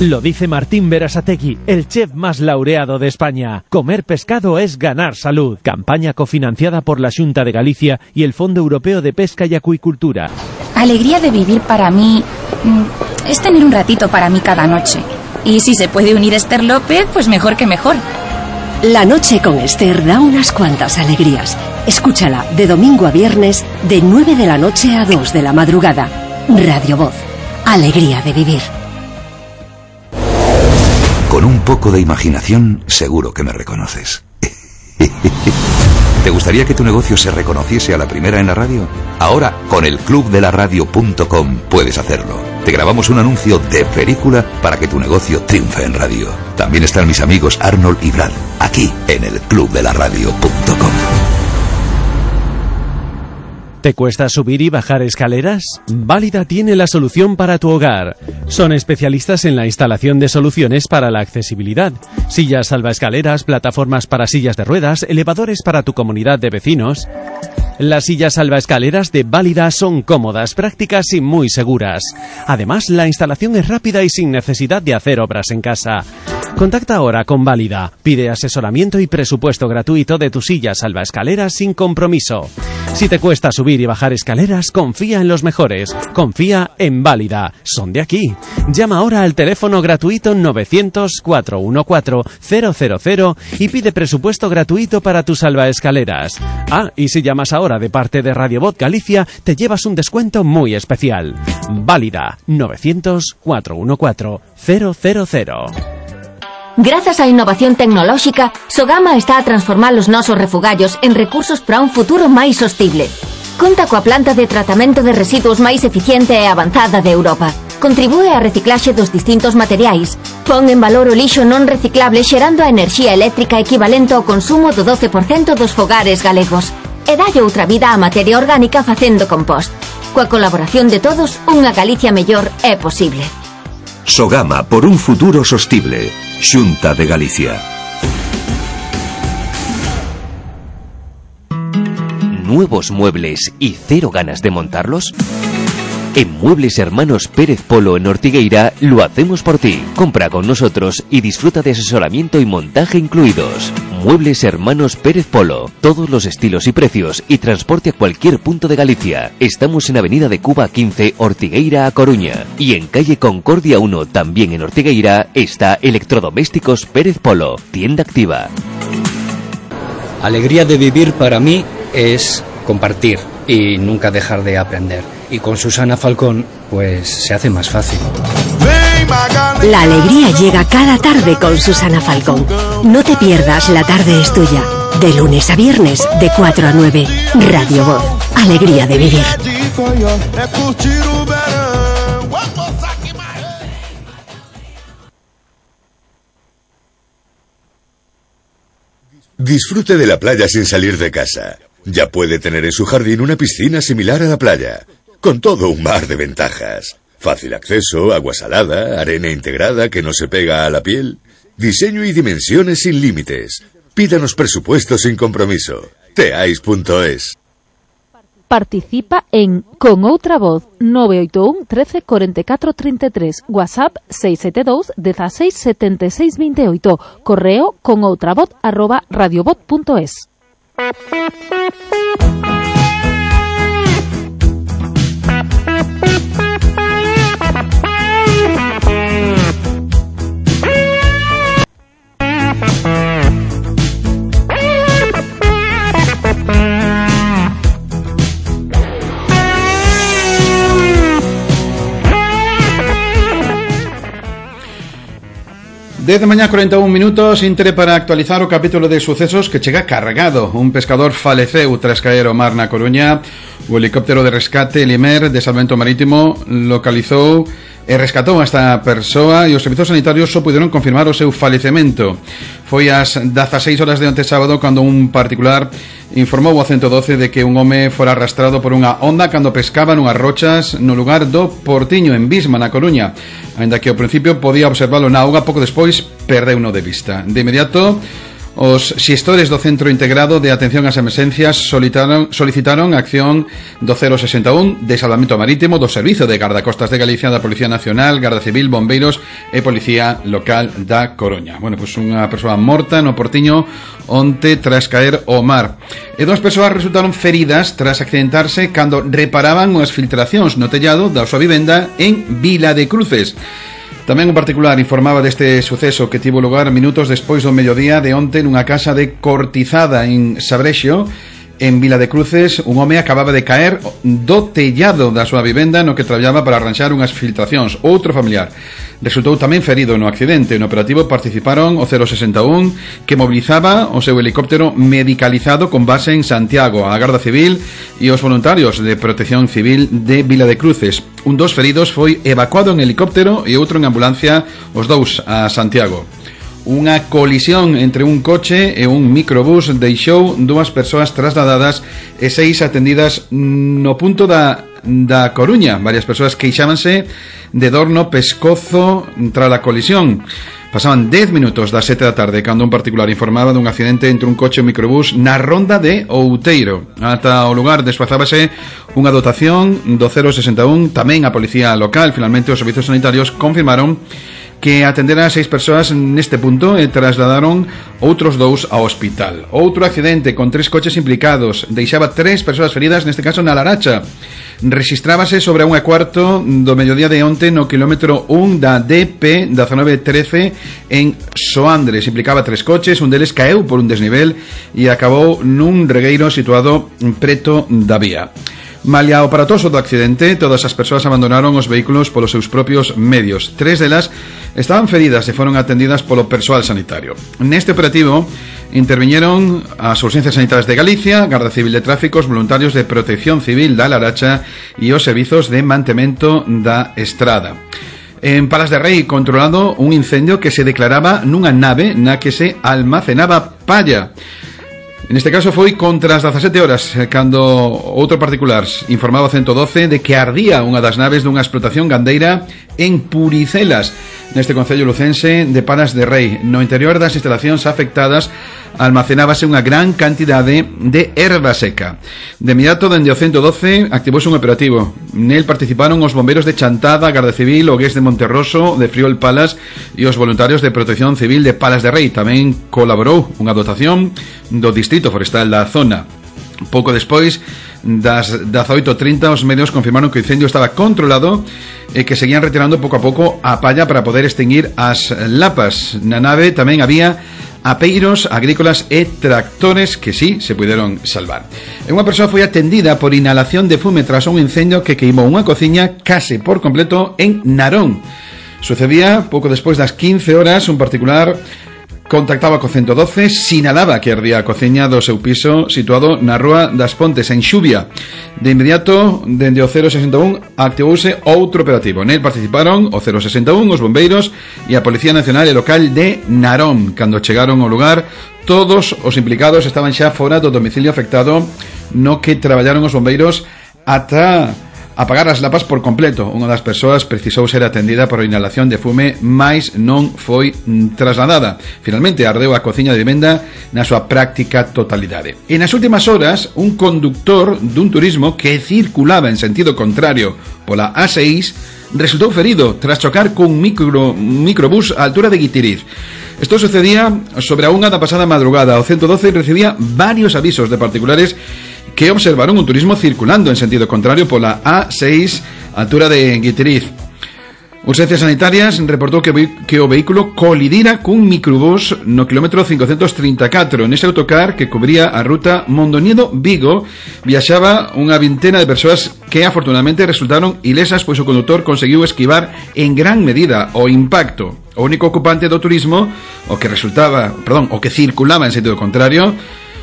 [SPEAKER 10] Lo dice Martín Berasategui, el chef más laureado de España. Comer pescado es ganar salud. Campaña cofinanciada por la Xunta de Galicia y el Fondo Europeo de Pesca y Acuicultura.
[SPEAKER 12] Alegría de vivir para mí es tener un ratito para mí cada noche. Y si se puede unir Esther López, pues mejor que mejor.
[SPEAKER 1] La noche con Esther da unas cuantas alegrías. Escúchala de domingo a viernes de 9 de la noche a 2 de la madrugada. Radio Voz. Alegría de vivir.
[SPEAKER 13] Con un poco de imaginación, seguro que me reconoces. ¿Te gustaría que tu negocio se reconociese a la primera en la radio? Ahora, con el clubdelaradio.com puedes hacerlo. Te grabamos un anuncio de película para que tu negocio triunfe en radio. También están mis amigos Arnold y Brad, aquí en el clubdelaradio.com.
[SPEAKER 10] ¿Te cuesta subir y bajar escaleras? Válida tiene la solución para tu hogar. Son especialistas en la instalación de soluciones para la accesibilidad. Sillas salvaescaleras, plataformas para sillas de ruedas, elevadores para tu comunidad de vecinos. Las sillas salvaescaleras de Válida son cómodas, prácticas y muy seguras. Además, la instalación es rápida y sin necesidad de hacer obras en casa. Contacta ahora con Válida. Pide asesoramiento y presupuesto gratuito de tu silla salvaescaleras sin compromiso. Si te cuesta subir y bajar escaleras, confía en los mejores. Confía en Válida. Son de aquí. Llama ahora al teléfono gratuito 900-414-000 y pide presupuesto gratuito para tus salvaescaleras. Ah, y si llamas ahora de parte de Radio Voz Galicia, te llevas un descuento muy especial. Válida 900-414-000.
[SPEAKER 14] Grazas á innovación tecnolóxica, Sogama está a transformar os nosos refugallos en recursos para un futuro máis sostible. Conta coa planta de tratamento de residuos máis eficiente e avanzada de Europa. Contribúe á reciclaxe dos distintos materiais. Pon en valor o lixo non reciclable xerando a enerxía eléctrica equivalente ao consumo do 12% dos fogares galegos. E dalle outra vida á materia orgánica facendo compost. Coa colaboración de todos, unha Galicia mellor é posible.
[SPEAKER 13] Sogama, por un futuro sostible. Xunta de Galicia.
[SPEAKER 6] ¿Nuevos muebles y cero ganas de montarlos? En Muebles Hermanos Pérez Polo en Ortigueira lo hacemos por ti. Compra con nosotros y disfruta de asesoramiento y montaje incluidos. Muebles Hermanos Pérez Polo. Todos los estilos y precios y transporte a cualquier punto de Galicia. Estamos en Avenida de Cuba 15, Ortigueira a Coruña. Y en calle Concordia 1, también en Ortigueira, está Electrodomésticos Pérez Polo. Tienda activa.
[SPEAKER 15] Alegría de vivir para mí es compartir y nunca dejar de aprender. Y con Susana Falcón, pues se hace más fácil.
[SPEAKER 7] Vem
[SPEAKER 1] La alegría llega cada tarde con Susana Falcón. No te pierdas La Tarde es Tuya. De lunes a viernes, de 4 a 9. Radio Voz. Alegría de vivir.
[SPEAKER 4] Disfrute de la playa sin salir de casa. Ya puede tener en su jardín una piscina similar a la playa, con todo un mar de ventajas. Fácil acceso, agua salada, arena integrada que no se pega a la piel. Diseño y dimensiones sin límites. Pídanos presupuesto sin compromiso. Teais.es.
[SPEAKER 16] Participa en Con Outra Voz 981 13 44 33, WhatsApp 672 16 76 28, correo conoutravoz@radiovoz.es.
[SPEAKER 2] Desde mañá 41 minutos, intre para actualizar o capítulo de sucesos que chega cargado. Un pescador faleceu tras caer ao mar na Coruña. O helicóptero de rescate Limer de Salvamento Marítimo localizou e rescatou a esta persoa e os servizos sanitarios só puderon confirmar o seu falecemento. Foi ás 16 horas de onte sábado cando un particular informou ao 112 de que un home fora arrastrado por unha onda cando pescaba nunhas rochas no lugar do Portiño, en Bisma, na Coruña. Ainda que ao principio podía observalo na auga, pouco despois perdeuno de vista. De inmediato, os xestores do Centro Integrado de Atención ás Emerxencias solicitaron a acción do 061 de Salvamento Marítimo, do Servizo de Gardacostas de Galicia, da Policía Nacional, Garda Civil, Bombeiros e Policía Local da Coruña. Bueno, pois unha persoa morta no Portiño onte tras caer ao mar. E dúas persoas resultaron feridas tras accidentarse cando reparaban unhas filtracións no tellado da súa vivenda en Vila de Cruces. Tamén un particular informaba deste suceso que tivo lugar minutos despois do mediodía de onte nunha casa de Cortizada en Sabrexo, en Vila de Cruces. Un home acababa de caer do tellado da súa vivenda no que traballaba para arranxar unhas filtracións. Outro familiar resultou tamén ferido no accidente. No operativo participaron o 061, que mobilizaba o seu helicóptero medicalizado con base en Santiago, a Garda Civil e os voluntarios de Protección Civil de Vila de Cruces. Un dos feridos foi evacuado en helicóptero e outro en ambulancia, os dous a Santiago. Unha colisión entre un coche e un microbús deixou dúas persoas trasladadas e 6 atendidas no punto da Coruña. Varias persoas queixábanse de dor no pescozo tras a colisión. Pasaban 10 minutos das 7 da tarde cando un particular informaba dun accidente entre un coche e un microbús na ronda de Outeiro. Ata o lugar desplazábase unha dotación do 061, tamén a policía local. Finalmente os servizos sanitarios confirmaron que atenderan a 6 persoas neste punto e trasladaron outros 2 ao hospital. Outro accidente con 3 coches implicados deixaba 3 persoas feridas, neste caso na Laracha. Rexistrábase sobre a 1:15 do mediodía de onte no quilómetro 1 da DP 1913 en Soandres. Implicaba 3 coches, un deles caeu por un desnivel e acabou nun regueiro situado preto da vía. Malia o aparatoso do accidente, todas as persoas abandonaron os vehículos polos seus propios medios. 3 delas estaban feridas e foron atendidas polo persoal sanitario. Neste operativo interviñeron as Urxencias Sanitarias de Galicia, Garda Civil de Tráficos, voluntarios de Protección Civil da Laracha e os servizos de mantemento da estrada. En Palas de Rei, controlado un incendio que se declaraba nunha nave na que se almacenaba palla. En este caso foi contra as 17 horas cando outro particular informaba ao 112 de que ardía unha das naves dunha explotación gandeira en Puricelas, neste concello lucense de Palas de Rei. No interior das instalacións afectadas almacenábase unha gran cantidade de erva seca. De inmediato, dende o 112 activouse un operativo. Nel participaron os bombeiros de Chantada, Garda Civil, o GES de Monterroso, de Friol Palas e os voluntarios de Protección Civil de Palas de Rei. Tamén colaborou unha dotación do Distrito Forestal da zona. Pouco despois das 18:30 os medios confirmaron que o incendio estaba controlado e que seguían retirando pouco a pouco a palla para poder extinguir as lapas. Na nave tamén había apeiros agrícolas e tractores que sí se puderon salvar. E unha persoa foi atendida por inhalación de fume tras un incendio que queimou unha cociña case por completo en Narón. Sucedía pouco despois das 15 horas, un particular contactaba co 112, sinalaba que ardía a cociña do seu piso situado na Rúa das Pontes, en Xubia. De inmediato, dende o 061, activouse outro operativo. Nel participaron o 061, os bombeiros e a Policía Nacional e Local de Narón. Cando chegaron ao lugar, todos os implicados estaban xa fora do domicilio afectado, no que traballaron os bombeiros ata apagar as lapas por completo. Unha das persoas precisou ser atendida por inhalación de fume, mais non foi trasladada. Finalmente ardeu a cociña de vivenda na súa práctica totalidade. E nas últimas horas, un conductor dun turismo que circulaba en sentido contrario pola A6 resultou ferido tras chocar cun microbús á altura de Guitiriz. Isto sucedía sobre a 1 da pasada madrugada. O 112 recibía varios avisos de particulares que observaron un turismo circulando en sentido contrario pola A6 altura de Guitiriz. Urgencias Sanitarias reportou que o vehículo colidira cun microbús no kilómetro 534. Nese autocar que cubría a ruta Mondoñedo-Vigo viaxaba unha vintena de persoas que afortunadamente resultaron ilesas, pois o condutor conseguiu esquivar en gran medida o impacto. O único ocupante do turismo, o que circulaba en sentido contrario,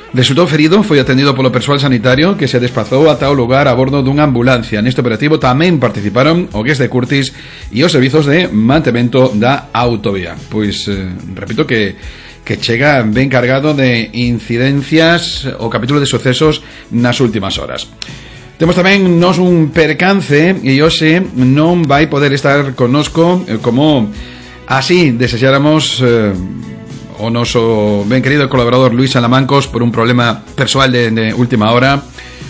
[SPEAKER 2] resultou ferido, foi atendido polo persoal sanitario que se desplazou ata o lugar a bordo dunha ambulancia. Neste operativo tamén participaron o GES de Curtis e os servizos de mantemento da autovía. Pois, repito que chega ben cargado de incidencias o capítulo de sucesos nas últimas horas. Temos tamén nos un percance e hoxe non vai poder estar connosco como así desexáramos o noso ben querido colaborador Luis Salamancos por un problema persoal de última hora.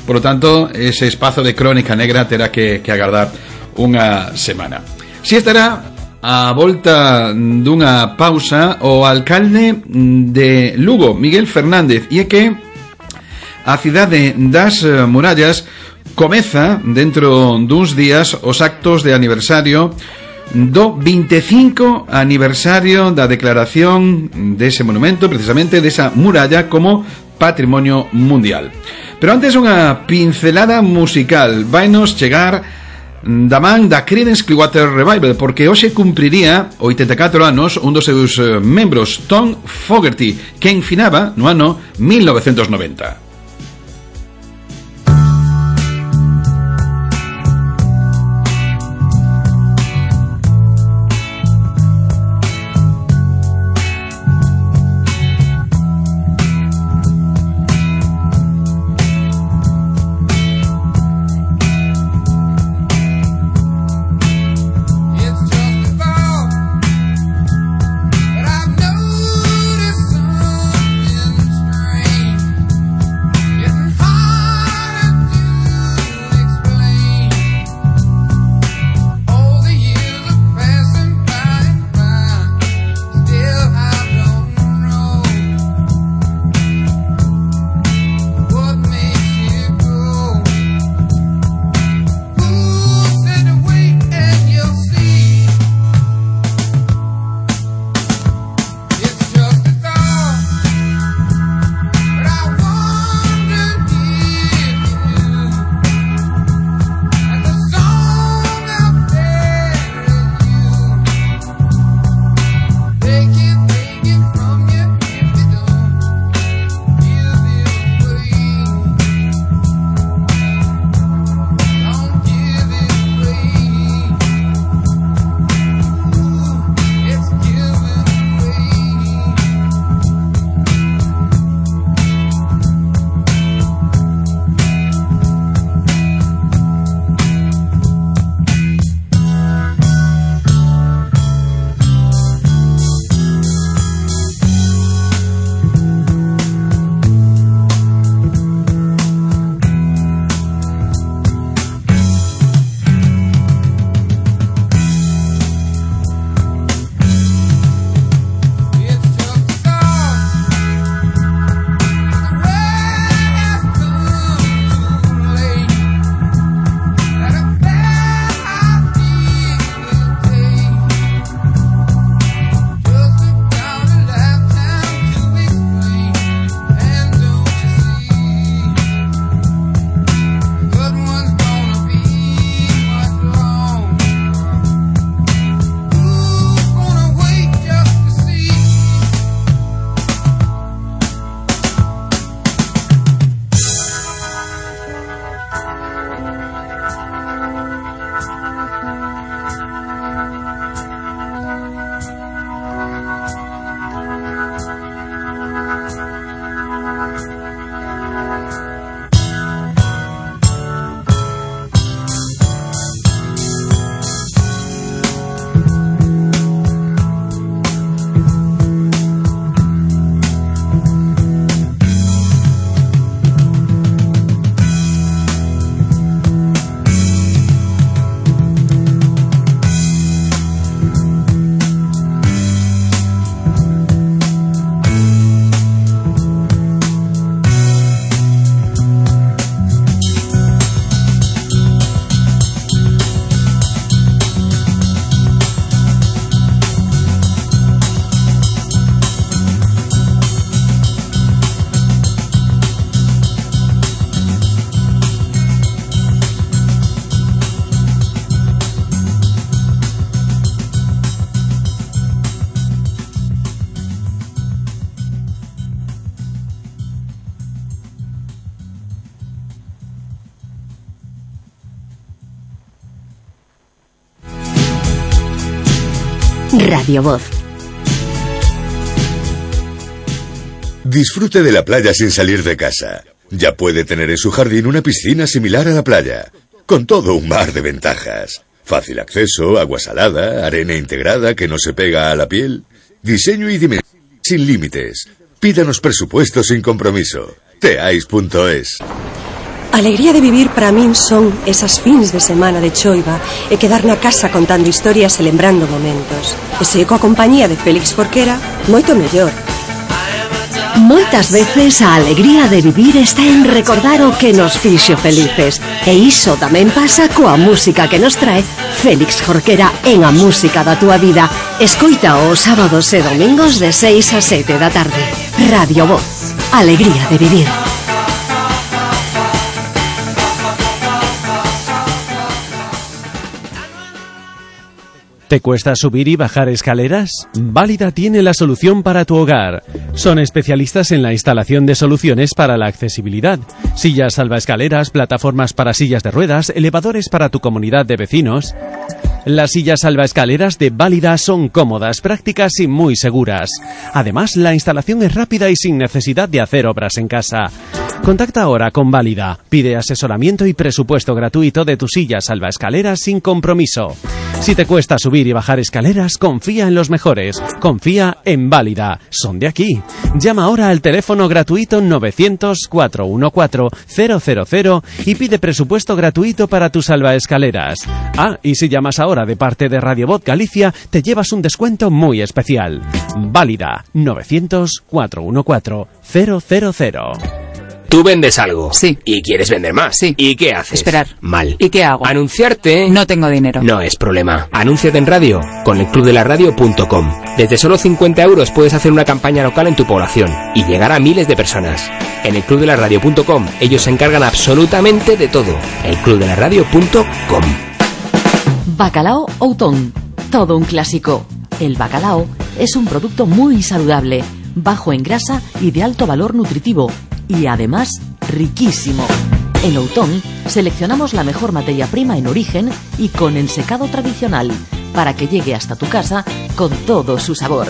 [SPEAKER 2] Por lo tanto, ese espazo de Crónica Negra terá que agardar unha semana. Si estará a volta dunha pausa o alcalde de Lugo, Miguel Fernández, e é que a cidade das murallas comeza dentro duns días os actos de aniversario do 25 aniversario da declaración dese monumento, precisamente desa muralla, como Patrimonio Mundial. Pero antes unha pincelada musical vainos chegar da man da Creedence Clearwater Revival, porque hoxe cumpriría 84 anos un dos seus membros, Tom Fogerty, que enfinaba no ano 1990.
[SPEAKER 1] Radio Voz.
[SPEAKER 4] Disfrute de la playa sin salir de casa. Ya puede tener en su jardín una piscina similar a la playa, con todo un mar de ventajas. Fácil acceso, agua salada, arena integrada que no se pega a la piel. Diseño y dimensión sin límites. Pídanos presupuesto sin compromiso. Teais.es.
[SPEAKER 5] Alegría de vivir para min son esas fins de semana de choiva e quedar na casa contando historias e lembrando momentos. E se coa compañía de Félix Jorquera, moito mellor.
[SPEAKER 1] Moitas veces a alegría de vivir está en recordar o que nos fixo felices. E iso tamén pasa coa música que nos trae Félix Jorquera en A Música da Túa Vida. Escoita os sábados e domingos de 6 a 7 da tarde. Radio Voz. Alegría de vivir.
[SPEAKER 10] ¿Te cuesta subir y bajar escaleras? Válida tiene la solución para tu hogar. Son especialistas en la instalación de soluciones para la accesibilidad. Sillas salvaescaleras, plataformas para sillas de ruedas, elevadores para tu comunidad de vecinos. Las sillas salvaescaleras de Válida son cómodas, prácticas y muy seguras. Además, la instalación es rápida y sin necesidad de hacer obras en casa. Contacta ahora con Válida. Pide asesoramiento y presupuesto gratuito de tu silla salvaescaleras sin compromiso. Si te cuesta subir y bajar escaleras, confía en los mejores. Confía en Válida. Son de aquí. Llama ahora al teléfono gratuito 900-414-000 y pide presupuesto gratuito para tus salvaescaleras. Ah, y si llamas ahora de parte de Radio Voz Galicia, te llevas un descuento muy especial. Válida 900-414-000.
[SPEAKER 6] Tú vendes algo.
[SPEAKER 17] Sí.
[SPEAKER 6] Y quieres vender más.
[SPEAKER 17] Sí.
[SPEAKER 6] ¿Y qué haces?
[SPEAKER 17] Esperar.
[SPEAKER 6] Mal.
[SPEAKER 17] ¿Y qué hago?
[SPEAKER 6] Anunciarte.
[SPEAKER 17] No tengo dinero.
[SPEAKER 6] No es problema. Anúnciate en radio con elclubdelaradio.com. Desde solo 50 euros puedes hacer una campaña local en tu población y llegar a miles de personas. En elclubdelaradio.com ellos se encargan absolutamente de todo. elclubdelaradio.com.
[SPEAKER 8] Bacalao Outón. Todo un clásico. El bacalao es un producto muy saludable, bajo en grasa y de alto valor nutritivo. Y además, riquísimo. En Outón seleccionamos la mejor materia prima en origen y con ensecado tradicional para que llegue hasta tu casa con todo su sabor.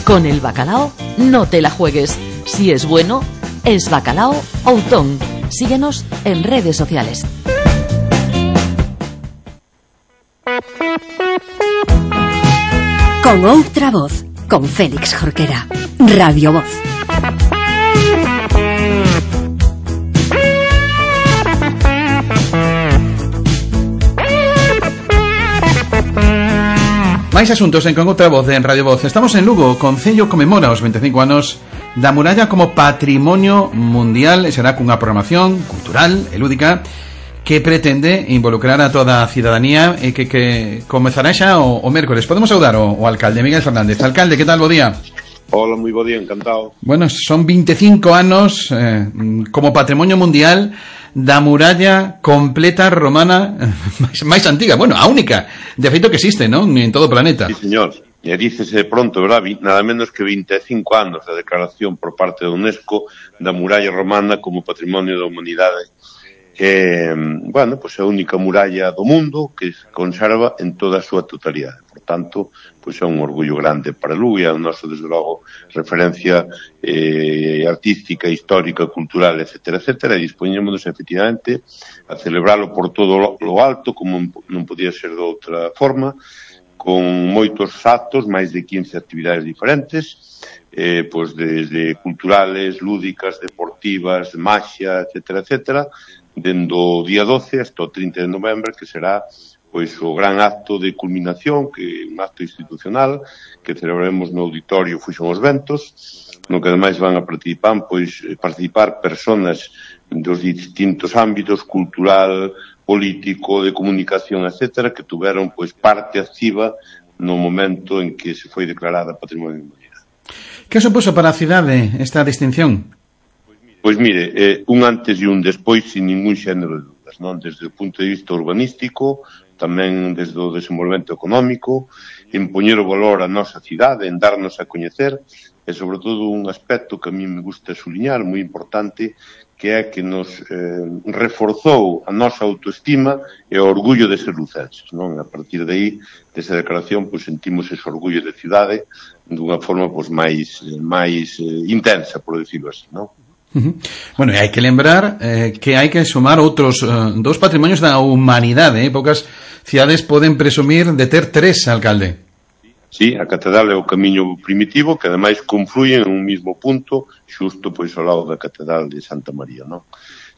[SPEAKER 8] Con el bacalao no te la juegues. Si es bueno, es Bacalao Outón. Síguenos en redes sociales.
[SPEAKER 1] Con outra voz, con Félix Jorquera. Radio Voz.
[SPEAKER 2] Máis asuntos en Con outra voz en Radio Voz. Estamos en Lugo. O Concello comemora os 25 anos da muralla como patrimonio mundial e será cunha programación cultural e lúdica que pretende involucrar a toda a cidadanía e que comezará xa o mércoles. Podemos saudar o alcalde Miguel Fernández. Alcalde, que tal? Bo día.
[SPEAKER 18] Hola, moi bo día, encantado.
[SPEAKER 2] Bueno, son 25 anos como patrimonio mundial da muralla completa romana máis antiga, bueno, a única de feito que existe, non? En todo o planeta.
[SPEAKER 18] Sí, señor. E dícese pronto, verdad, nada menos que 25 anos da declaración por parte da UNESCO da muralla romana como patrimonio da humanidade. Bueno, pues é a única muralla do mundo que se conserva en toda a súa totalidade. Por tanto, pues é un orgullo grande para Lugo e a nosa, desde logo, referencia artística, histórica, cultural, etcétera, etcétera, e dispoñémonos efectivamente a celebralo por todo lo alto, como non podía ser de outra forma, con moitos actos, máis de 15 actividades diferentes, pues desde culturales, lúdicas, deportivas, maxia, etcétera, etcétera, dende o día 12 hasta o 30 de novembro, que será pois o gran acto de culminación, que é un acto institucional que celebraremos no auditorio Fuxon os Ventos, no que ademais van a participar personas dos distintos ámbitos cultural, político, de comunicación, etcétera, que tuveron pois parte activa no momento en que se foi declarada Patrimonio da Humanidade.
[SPEAKER 2] Que supuso para a cidade esta distinción?
[SPEAKER 18] Pois mire, un antes e un despois sin ningún xénero de dúdas, non? Desde o punto de vista urbanístico, tamén desde o desenvolvemento económico, en poñer o valor a nosa cidade, en darnos a coñecer, e sobre todo un aspecto que a mí me gusta suliñar, moi importante, que é que nos reforzou a nosa autoestima e o orgullo de ser lucenses, non? A partir de aí, desa declaración, pois sentimos ese orgullo de cidade dunha forma pois máis intensa, por decirlo así, non?
[SPEAKER 2] Bueno, e hai que lembrar que hai que sumar outros dous patrimonios da humanidade, poucas cidades poden presumir de ter 3, alcalde.
[SPEAKER 18] Sí, a catedral é o camiño primitivo que ademais confluyen en un mismo punto xusto pois ao lado da catedral de Santa María, non?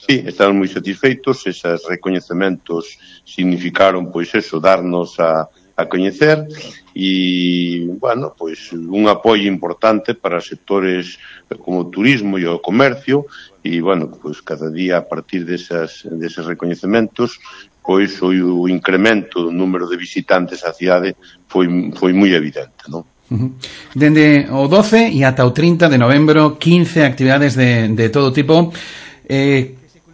[SPEAKER 18] Sí, estamos moi satisfeitos, esos recoñecementos significaron pois eso, darnos a coñecer e, bueno, pois un apoio importante para sectores como o turismo e o comercio e, bueno, pois cada día a partir deses recoñecementos pois o incremento do número de visitantes á cidade foi moi evidente, non?
[SPEAKER 2] Dende o 12 e ata o 30 de novembro 15 actividades de todo tipo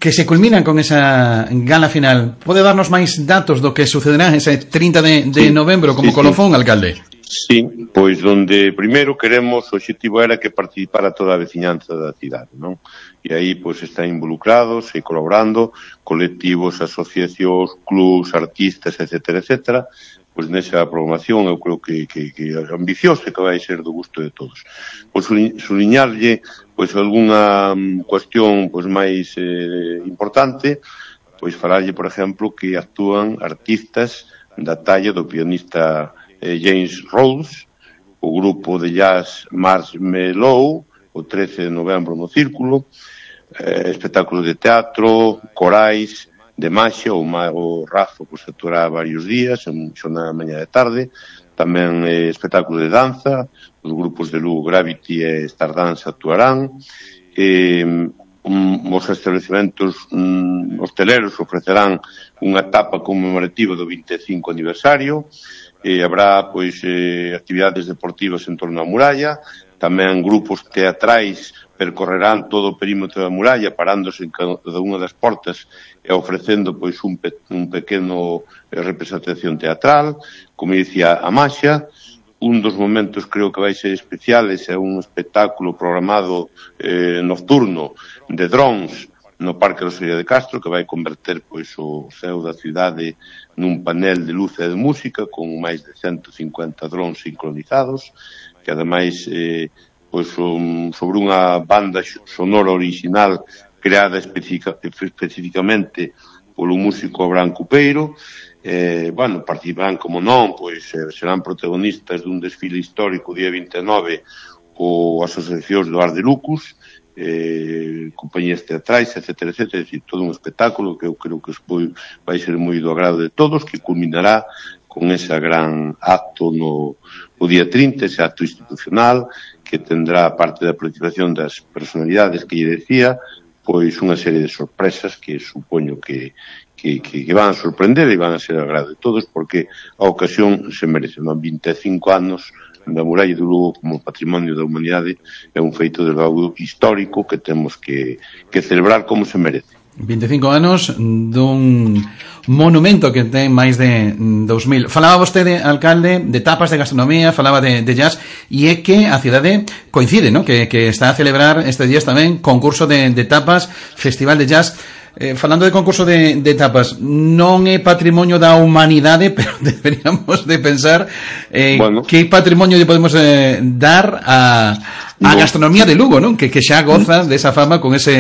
[SPEAKER 2] que se culminan con esa gala final. Pode darnos máis datos do que sucederá ese 30 de novembro como colofón, alcalde?
[SPEAKER 18] Sí, pois donde primeiro queremos, o objetivo era que participara toda a veciñanza da cidade, non? E aí pois están involucrados e colaborando colectivos, asociacións, clubs, artistas, etcétera, etcétera. Pois nesa programación eu creo que é ambiciosa e que vai ser do gusto de todos. Pois suliñarlle pois algunha cuestión pois máis importante, pois falarlle, por exemplo, que actúan artistas da talla do pianista James Rhodes, o grupo de jazz Marshmallow, o 13 de novembro no Círculo, espectáculos de teatro, corais, de maxia, o Razo pois actuará varios días, en xornada mañá de tarde, tamén espectáculos de danza, os grupos de Lugo Gravity e Stardance actuarán, os establecimentos hosteleros ofrecerán unha etapa conmemorativa do 25 aniversario, habrá pois actividades deportivas en torno á muralla, tamén grupos teatrais percorrerán todo o perímetro da muralla parándose en cada unha das portas e ofrecendo pois un pequeno representación teatral, como dicía a Maxia. Un dos momentos creo que vai ser especiales é un espectáculo programado nocturno de drones no Parque Rosalía de Castro, que vai converter pois o ceo da cidade nun panel de luz e de música con máis de 150 drones sincronizados, que ademais pois sobre unha banda sonora original creada especificamente polo músico Abraham Cupeiro. Bueno, participarán, como non, pois serán protagonistas dun desfile histórico día 29 o asociacións do Ar de Lucus, compañías teatrais, etcétera, etcétera, é dicir, todo un espectáculo que eu creo que vai ser moi do agrado de todos, que culminará con ese gran acto no día 30, ese acto institucional, que tendrá parte da participación das personalidades que lle decía, pois unha serie de sorpresas que supoño que van a sorprender e van a ser agrado de todos, porque a ocasión se merece. 25 anos da muralla do Lugo como patrimonio da humanidade é un feito de algo histórico que temos que celebrar como se merece.
[SPEAKER 2] 25 anos dun monumento que ten máis de 2000. Falaba vostede, alcalde, de tapas de gastronomía, falaba de jazz, e é que a cidade coincide, ¿no? Que está a celebrar estes días tamén concurso de tapas, festival de jazz. Falando de concurso de tapas, non é patrimonio da humanidade, pero deberíamos de pensar que patrimonio lle podemos dar a gastronomía de Lugo, non? Que xa goza desa fama con ese